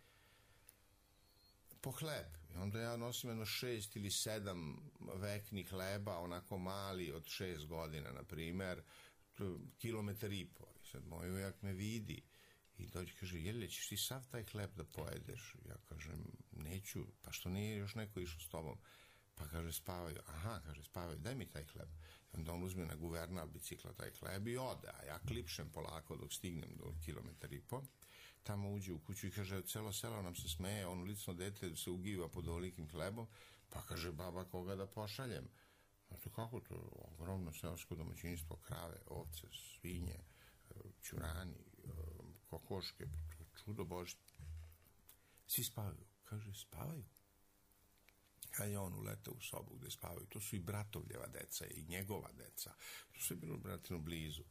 po hleb. I onda ja nosim jedno šest ili sedam veknih hleba, onako mali, od šest godina, na primer, kilometar i po. I sad moj ujak me vidi i dođe i kaže, Jelja, ćeš ti sav taj hleb da pojedeš? Ja kažem, neću, pa što nije još neko išao s tobom? Pa kaže, spavaju. Aha, kaže, spavaju, daj mi taj hleb. I onda on uzme na guvernal bicikla taj hleb i ode, a ja klipšem polako dok stignem do kilometar i po. Tamo uđe u kuću i kaže, celo selo nam se smeje, ono lično dete se ugiva pod ovolikim hlebom, pa kaže, baba, koga da pošaljem? Znate kako to, ogromno seosko domaćinstvo, krave, ovce, svinje, ćurani, kokoške, čudo Bože. Svi spavaju. Kaže, spavaju. Kad je on uletao u sobu gde spavaju, to su i bratovljeva deca i njegova deca, to su bilo bratino blizu.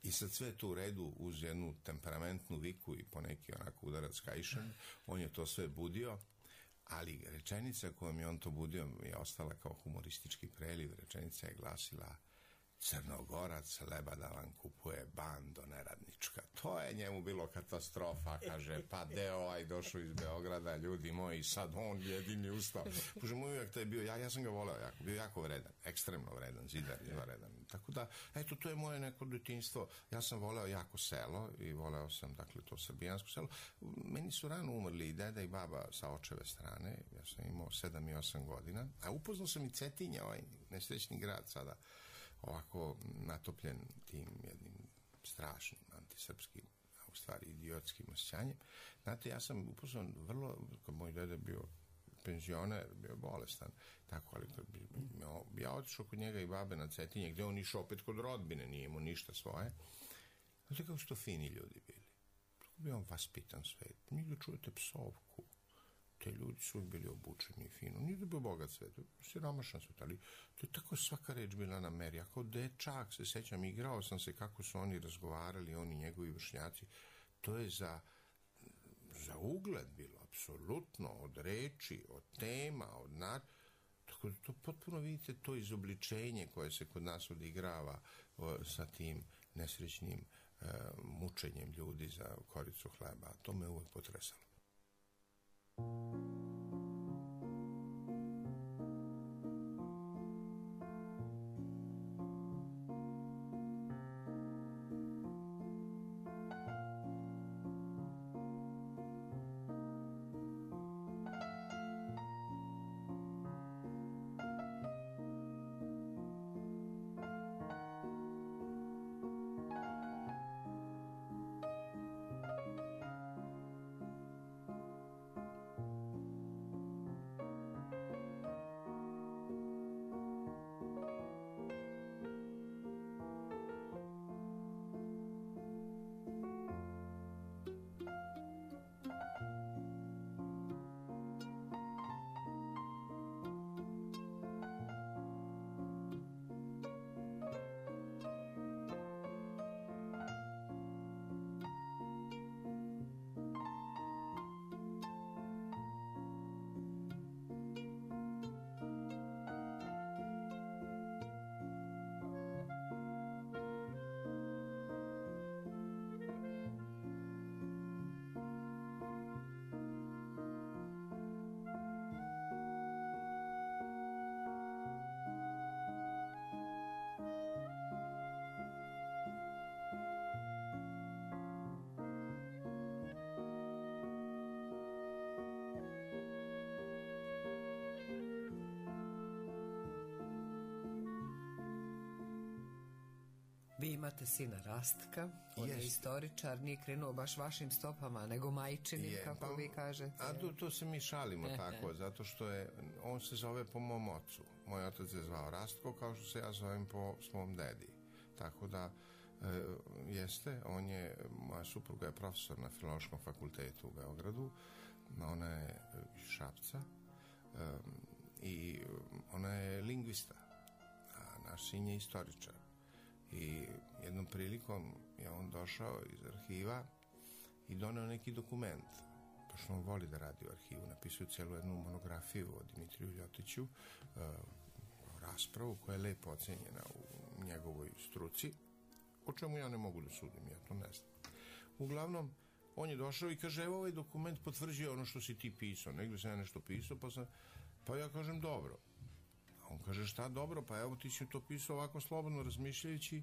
I sad sve to u redu uz jednu temperamentnu viku i poneki onako udarac kajšan, on je to sve budio, ali rečenica kojom je on to budio je ostala kao humoristički preliv, rečenica je glasila, Crnogorac leba da vam kupuje, bando neradnička. To je njemu bilo katastrofa, kaže, pa deo ovaj došao iz Beograda, ljudi moji, sad on jedini ustao. Pošto moj uvijek to je bio, ja, ja sam ga voleo jako, bio jako vredan, ekstremno vredan, zidar, izvaredan. Tako da, eto, to je moje neko detinjstvo. Ja sam voleo jako selo i voleo sam, dakle, to srbijansko selo. Meni su rano umrli i deda i baba sa očeve strane, ja sam imao sedam i osam godina, a upoznao sam i Cetinja, ovaj nesrećni grad sada, ovako natopljen tim jednim strašnim antisrpskim, a u stvari idiotskim osjećanjem. Znate, ja sam upoznao vrlo, kad moj deda bio penzioner, bio bolestan, tako, ali ja otišao kod njega i babe na Cetinje, gde on išao opet kod rodbine, nije imao ništa svoje. Znate kako su to fini ljudi bili. Tako bi on vaspitan svet. Nigde čujete psovku. Te ljudi su bili obučeni fino. Nije da bio bogat svet, siromašan svet, ali to je tako svaka reč bila na meri. Ako dečak se sećam, igrao sam se kako su oni razgovarali, oni njegovi vršnjaci. To je za, za ugled bilo, apsolutno, od reči, od tema, od nar... Tako da to potpuno vidite to izobličenje koje se kod nas odigrava o, sa tim nesrećnim e, mučenjem ljudi za koricu hleba. To me uvek potresalo. Vi imate sina Rastka, on je istoričar, nije krenuo baš vašim stopama, nego majčinim, je, kako pa, vi kažete. A to, to se mi šalimo tako, zato što je, on se zove po mom ocu. Moj otac je zvao Rastko, kao što se ja zovem po svom dedi. Tako da, e, jeste, on je, moja supruga je profesor na Filološkom fakultetu u Beogradu, ona je iz Šapca e, i ona je lingvista, a naš sin je istoričar. I jednom prilikom je on došao iz arhiva i doneo neki dokument. Pošto on voli da radi u arhivu, napisao cijelu jednu monografiju o Dimitriju Ljotiću, uh, raspravu koja je lepo ocenjena u njegovoj struci, o čemu ja ne mogu da sudim, ja to ne znam. Uglavnom, on je došao i kaže, evo ovaj dokument potvrđuje ono što si ti pisao. Negdje sam ja nešto pisao, pa, sam, pa ja kažem, dobro. On kaže, šta dobro, pa evo ti si to pisao ovako slobodno razmišljajući,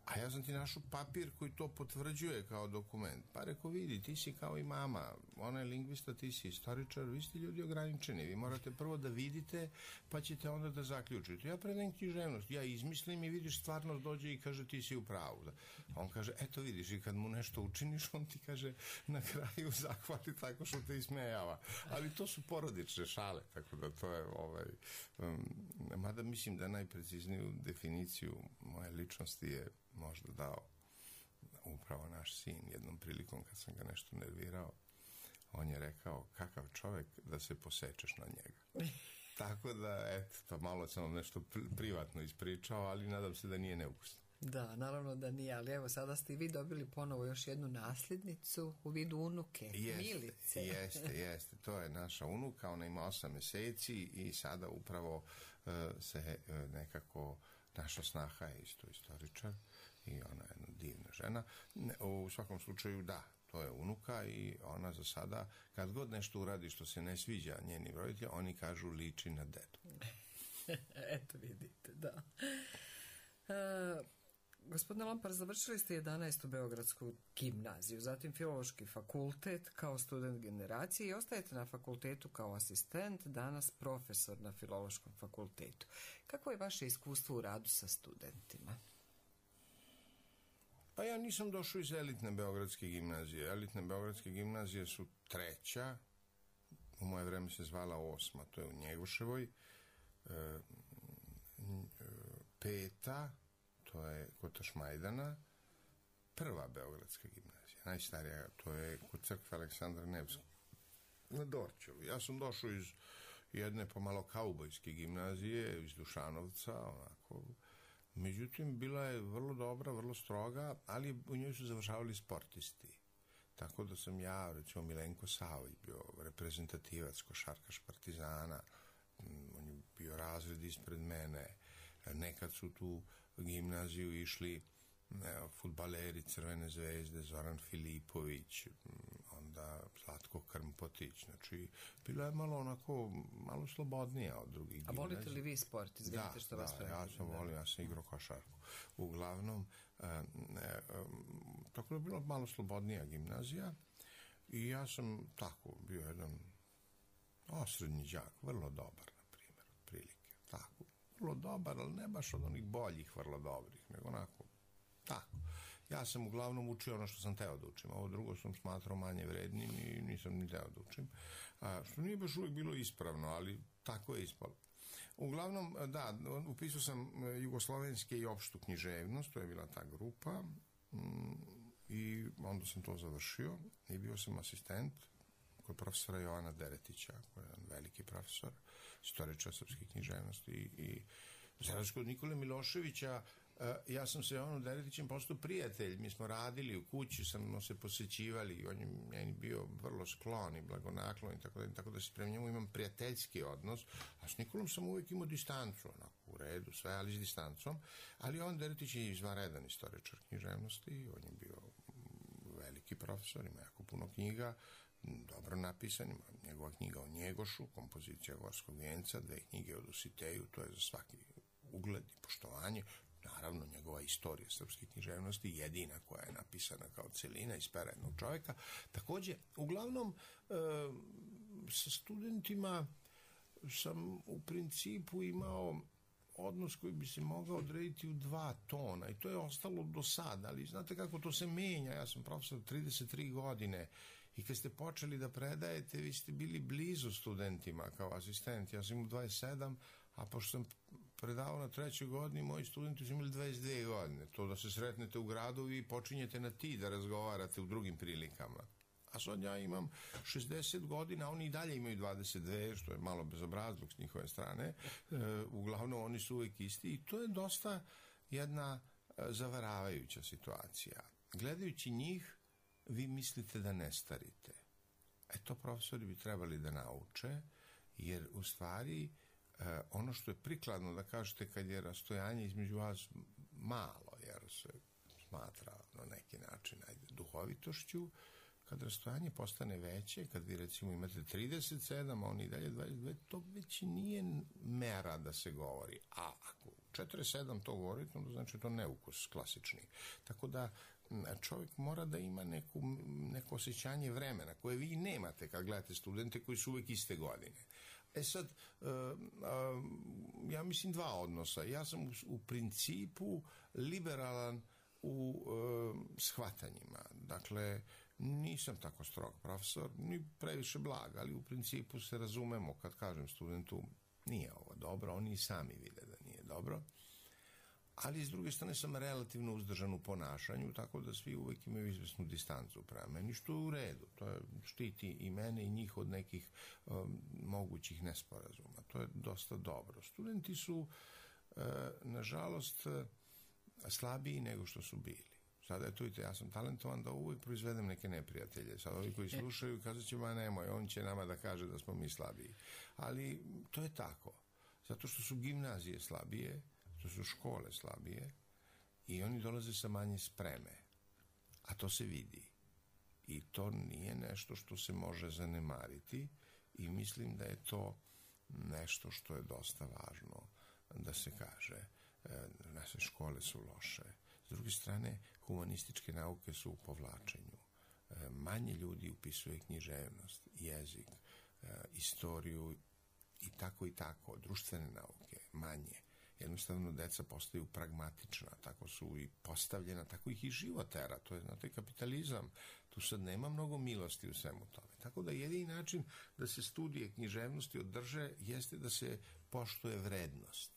a ja sam ti našao papir koji to potvrđuje kao dokument. Pa reko, vidi, ti si kao i mama, ona je lingvista, ti si istoričar, vi ste ljudi ograničeni, vi morate prvo da vidite, pa ćete onda da zaključite. Ja predajem književnost, ja izmislim i vidiš, stvarnost dođe i kaže, ti si u pravu. On kaže, eto vidiš, i kad mu nešto učiniš, on ti kaže, na kraju zahvali tako što te ismejava. Ali to su porodične šale, tako da to je, ovaj, um, mada mislim da najprecizniju definiciju moje ličnosti je možda dao upravo naš sin. Jednom prilikom kad sam ga nešto nervirao, on je rekao, kakav čovjek da se posečeš na njega. Tako da, eto, to malo sam vam nešto privatno ispričao, ali nadam se da nije neukusno. Da, naravno da nije, ali evo sada ste i vi dobili ponovo još jednu nasljednicu u vidu unuke, jeste, Milice. Jeste, jeste, to je naša unuka, ona ima osam mjeseci i sada upravo uh, se uh, nekako, naša snaha je isto istoričar i ona je jedna divna žena. U svakom slučaju, da, to je unuka i ona za sada, kad god nešto uradi što se ne sviđa njenim roditeljima, oni kažu liči na dedu. Eto vidite, da. Uh, Gospodine Lompar, završili ste jedanaestu Beogradsku gimnaziju, zatim Filološki fakultet kao student generacije i ostajete na fakultetu kao asistent, danas profesor na Filološkom fakultetu. Kako je vaše iskustvo u radu sa studentima? Pa ja nisam došao iz elitne Beogradske gimnazije. Elitne Beogradske gimnazije su treća, u moje vreme se zvala osma, to je u Njegoševoj, e, peta, to je kod Tašmajdana, prva Beogradska gimnazija, najstarija, to je kod crkve Aleksandra Nevskog, na Dorćevu. Ja sam došao iz jedne pomalo kaubojske gimnazije, iz Dušanovca, onako. Međutim, bila je vrlo dobra, vrlo stroga, ali u njoj su završavali sportisti. Tako da sam ja, recimo Milenko Savović, bio reprezentativac, košarkaš Partizana, on je bio razred ispred mene. Nekad su tu gimnaziju išli fudbaleri Crvene zvezde, Zoran Filipović, onda Zlatko Krmpotić, znači bila je malo onako, malo slobodnija od drugih gimnazija. A volite li vi sport? Izvinite da, što da, vas da, ja sam volio, ja sam igrao košarku. Uglavnom, e, e, tako je bila malo slobodnija gimnazija i ja sam tako bio jedan osrednji đak, vrlo dobar, na primjer, otprilike, tako. Vrlo dobar, ali ne baš od onih boljih vrlo dobrih, nego onako, tako. Ja sam uglavnom učio ono što sam teo da učim, ovo drugo sam smatrao manje vrednim i nisam ni teo da učim, a, što nije baš uvijek bilo ispravno, ali tako je ispalo. Uglavnom, da, upisao sam jugoslovenske i opštu književnost, to je bila ta grupa, mm, i onda sam to završio i bio sam asistent kod profesora Jovana Deretića, koji je jedan veliki profesor, istoričar srpske književnosti i, i za razliku od Nikole Miloševića, ja sam se Jovanom Deretićem postao prijatelj, mi smo radili u kući, smo se posećivali, on je meni bio vrlo sklon i blagonaklon i tako da, tako da se prema njemu imam prijateljski odnos, a s Nikolom sam uvijek imao distancu, onako, u redu, sve, ali s distancom, ali on Deretić je izvanredan istoričar književnosti, on je bio veliki profesor, ima jako puno knjiga, dobro napisan, ima njegova knjiga o Njegošu, kompozicija Gorskog vijenca, dve knjige o Dositeju, to je za svaki ugled i poštovanje, naravno njegova istorija srpske književnosti, jedina koja je napisana kao celina iz pera jednog čovjeka. Također, uglavnom, e, sa studentima sam u principu imao odnos koji bi se mogao odrediti u dva tona i to je ostalo do sada, ali znate kako to se menja. Ja sam profesor trideset tri godine i kad ste počeli da predajete, vi ste bili blizu studentima kao asistent. Ja sam imao dvadeset sedam, a pošto sam predavao na trećoj godini, moji studenti su imali dvadeset dve godine. To da se sretnete u gradu i počinjete na ti da razgovarate u drugim prilikama. A sad ja imam šezdeset godina, oni i dalje imaju dvadeset dve, što je malo bezobrazluk s njihove strane. E, uglavnom, oni su uvijek isti i to je dosta jedna e, zavaravajuća situacija. Gledajući njih, vi mislite da ne starite. E to profesori bi trebali da nauče, jer u stvari e, ono što je prikladno da kažete kad je rastojanje između vas malo, jer se smatra na neki način ajde, duhovitošću, kad rastojanje postane veće, kad vi recimo imate trideset sedam, a oni dalje dvadeset dve, to već nije mera da se govori. A ako četrdeset sedam to govorite, onda znači to neukus klasični. Tako da čovjek mora da ima neku, neko osjećanje vremena koje vi nemate kad gledate studente koji su uvijek iste godine. E sad, uh, uh, ja mislim dva odnosa. Ja sam u, u principu liberalan u uh, shvatanjima. Dakle, nisam tako strog profesor, ni previše blag, ali u principu se razumemo kad kažem studentu nije ovo dobro, oni i sami vide da nije dobro. Ali s druge strane sam relativno uzdržan u ponašanju, tako da svi uvijek imaju izvesnu distancu prema meni, što je u redu. To je, štiti i mene i njih od nekih um, mogućih nesporazuma. To je dosta dobro. Studenti su, uh, nažalost, uh, slabiji nego što su bili. Sada je to, vidite, ja sam talentovan da uvijek proizvedem neke neprijatelje. Sad ovi koji slušaju kazat će, ma nemoj, on će nama da kaže da smo mi slabiji. Ali to je tako. Zato što su gimnazije slabije, to su škole slabije i oni dolaze sa manje spreme. A to se vidi. I to nije nešto što se može zanemariti i mislim da je to nešto što je dosta važno da se kaže. Naše škole su loše. S druge strane, humanističke nauke su u povlačenju. Manje ljudi upisuje književnost, jezik, istoriju i tako i tako. Društvene nauke, manje. Jednostavno, deca postaju pragmatična, tako su i postavljena, tako ih i život tera. To je, znate, kapitalizam. Tu sad nema mnogo milosti u svemu tome. Tako da jedini način da se studije književnosti održe jeste da se poštuje vrednost.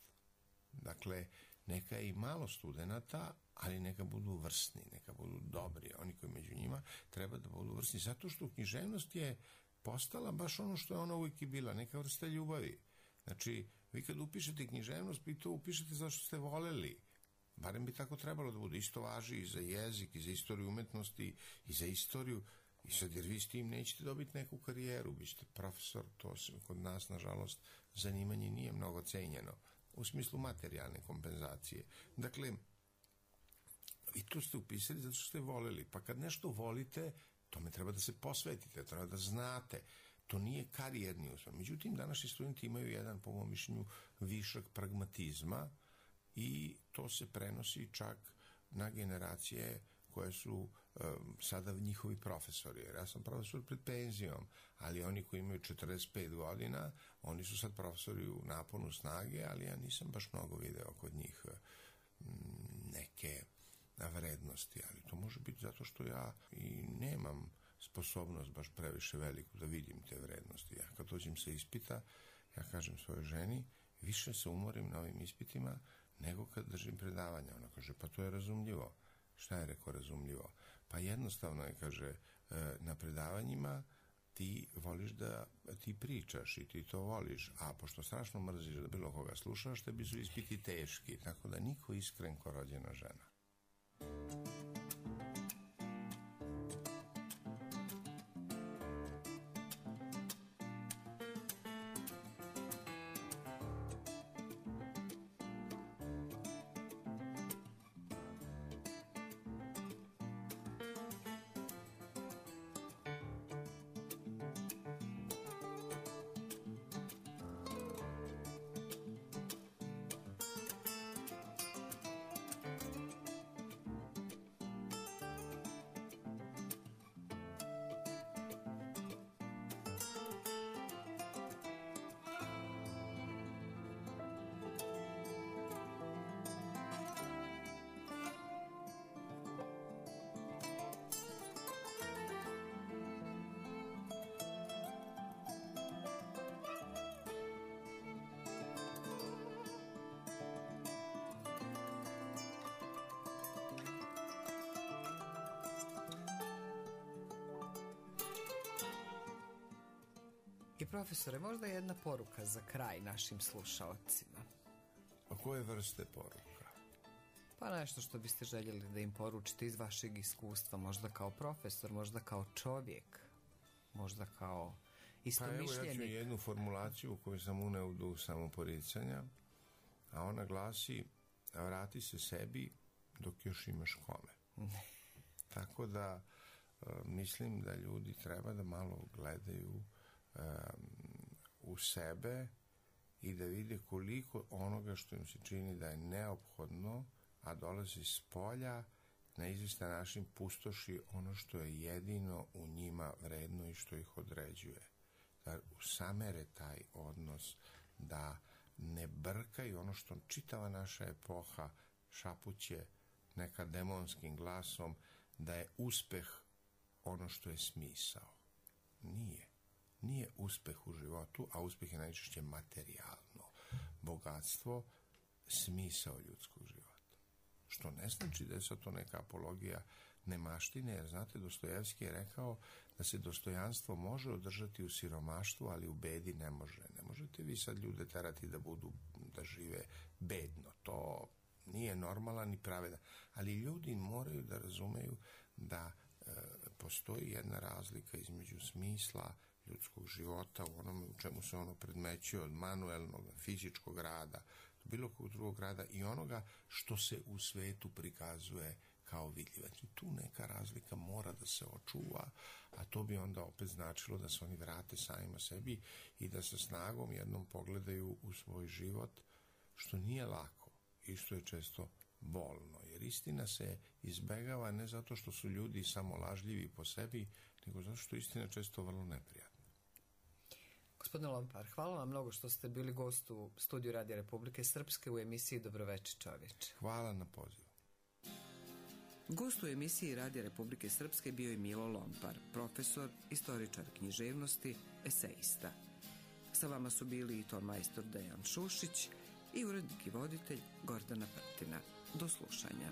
Dakle, neka je i malo studenata, ali neka budu vrsni, neka budu dobri. Oni koji među njima treba da budu vrsni. Zato što književnost je postala baš ono što je ona uvijek i bila, neka vrsta ljubavi. Znači, vi kad upišete književnost, vi to upišete zato što ste voleli. Barem bi tako trebalo da bude. Isto važi i za jezik, i za istoriju umetnosti, i za istoriju. I sad, jer vi s tim nećete dobiti neku karijeru, vi ćete profesor, to se kod nas, nažalost, zanimanje nije mnogo cenjeno. U smislu materijalne kompenzacije. Dakle, i to ste upisali zato što ste voleli. Pa kad nešto volite, tome treba da se posvetite, treba da znate. To nije karijerni uspeh. Međutim, današnji studenti imaju jedan, po mom mišljenju, višak pragmatizma i to se prenosi čak na generacije koje su um, sada njihovi profesori. Jer ja sam profesor pred penzijom, ali oni koji imaju četrdeset pet godina, oni su sad profesori u naponu snage, ali ja nisam baš mnogo video kod njih um, neke vrednosti. Ali to može biti zato što ja i nemam sposobnost baš previše veliku da vidim te vrednosti. Ja kad dođem sa ispita, ja kažem svojoj ženi, više se umorim na ovim ispitima nego kad držim predavanja. Ona kaže, pa to je razumljivo. Šta je rekao razumljivo? Pa jednostavno je, kaže, na predavanjima ti voliš da ti pričaš i ti to voliš, a pošto strašno mrziš da bilo koga slušaš, tebi su ispiti teški, tako da niko iskren ko rođena žena. I profesore, možda jedna poruka za kraj našim slušaocima. A koje vrste poruka? Pa nešto što biste željeli da im poručite iz vašeg iskustva, možda kao profesor, možda kao čovjek, možda kao istomišljenik. Pa evo, ja ću jednu formulaciju koju sam uneo u duh samoporicanja, a ona glasi: vrati se sebi dok još imaš kome. Tako da e, mislim da ljudi treba da malo gledaju e, u sebe i da vide koliko onoga što im se čini da je neophodno, a dolazi s polja, na izvestan način pustoši ono što je jedino u njima vredno i što ih određuje. Da usamere taj odnos, da ne brkaju ono što čitava naša epoha šapuće nekad demonskim glasom, da je uspeh ono što je smisao. Nije. Nije uspeh u životu, a uspeh je najčešće materijalno bogatstvo, smisao ljudskog života. Što ne znači da je sad to neka apologija nemaštine, jer znate, Dostojevski je rekao da se dostojanstvo može održati u siromaštvu, ali u bedi ne može. Ne možete vi sad ljude terati da budu, da žive bedno. To nije normalan ni pravedan. Ali ljudi moraju da razumeju da e, postoji jedna razlika između smisla ljudskog života u onome u čemu se ono predmećuje od manuelnog, fizičkog rada, bilo kog drugog rada i onoga što se u svetu prikazuje kao vidljivo. Tu neka razlika mora da se očuva, a to bi onda opet značilo da se oni vrate samima sebi i da sa snagom jednom pogledaju u svoj život, što nije lako i što je često bolno. Jer istina se izbegava ne zato što su ljudi samo lažljivi po sebi, nego zato što je istina često vrlo neprijatna. Gospodine Lompar, hvala vam mnogo što ste bili gost u studiju Radija Republike Srpske u emisiji Dobroveče čovječe. Hvala na pozivu. Gost u emisiji Radija Republike Srpske bio je Milo Lompar, profesor, istoričar književnosti, eseista. Sa vama su bili i ton majstor Dejan Šušić i urednik i voditelj Gordana Prtina. Do slušanja.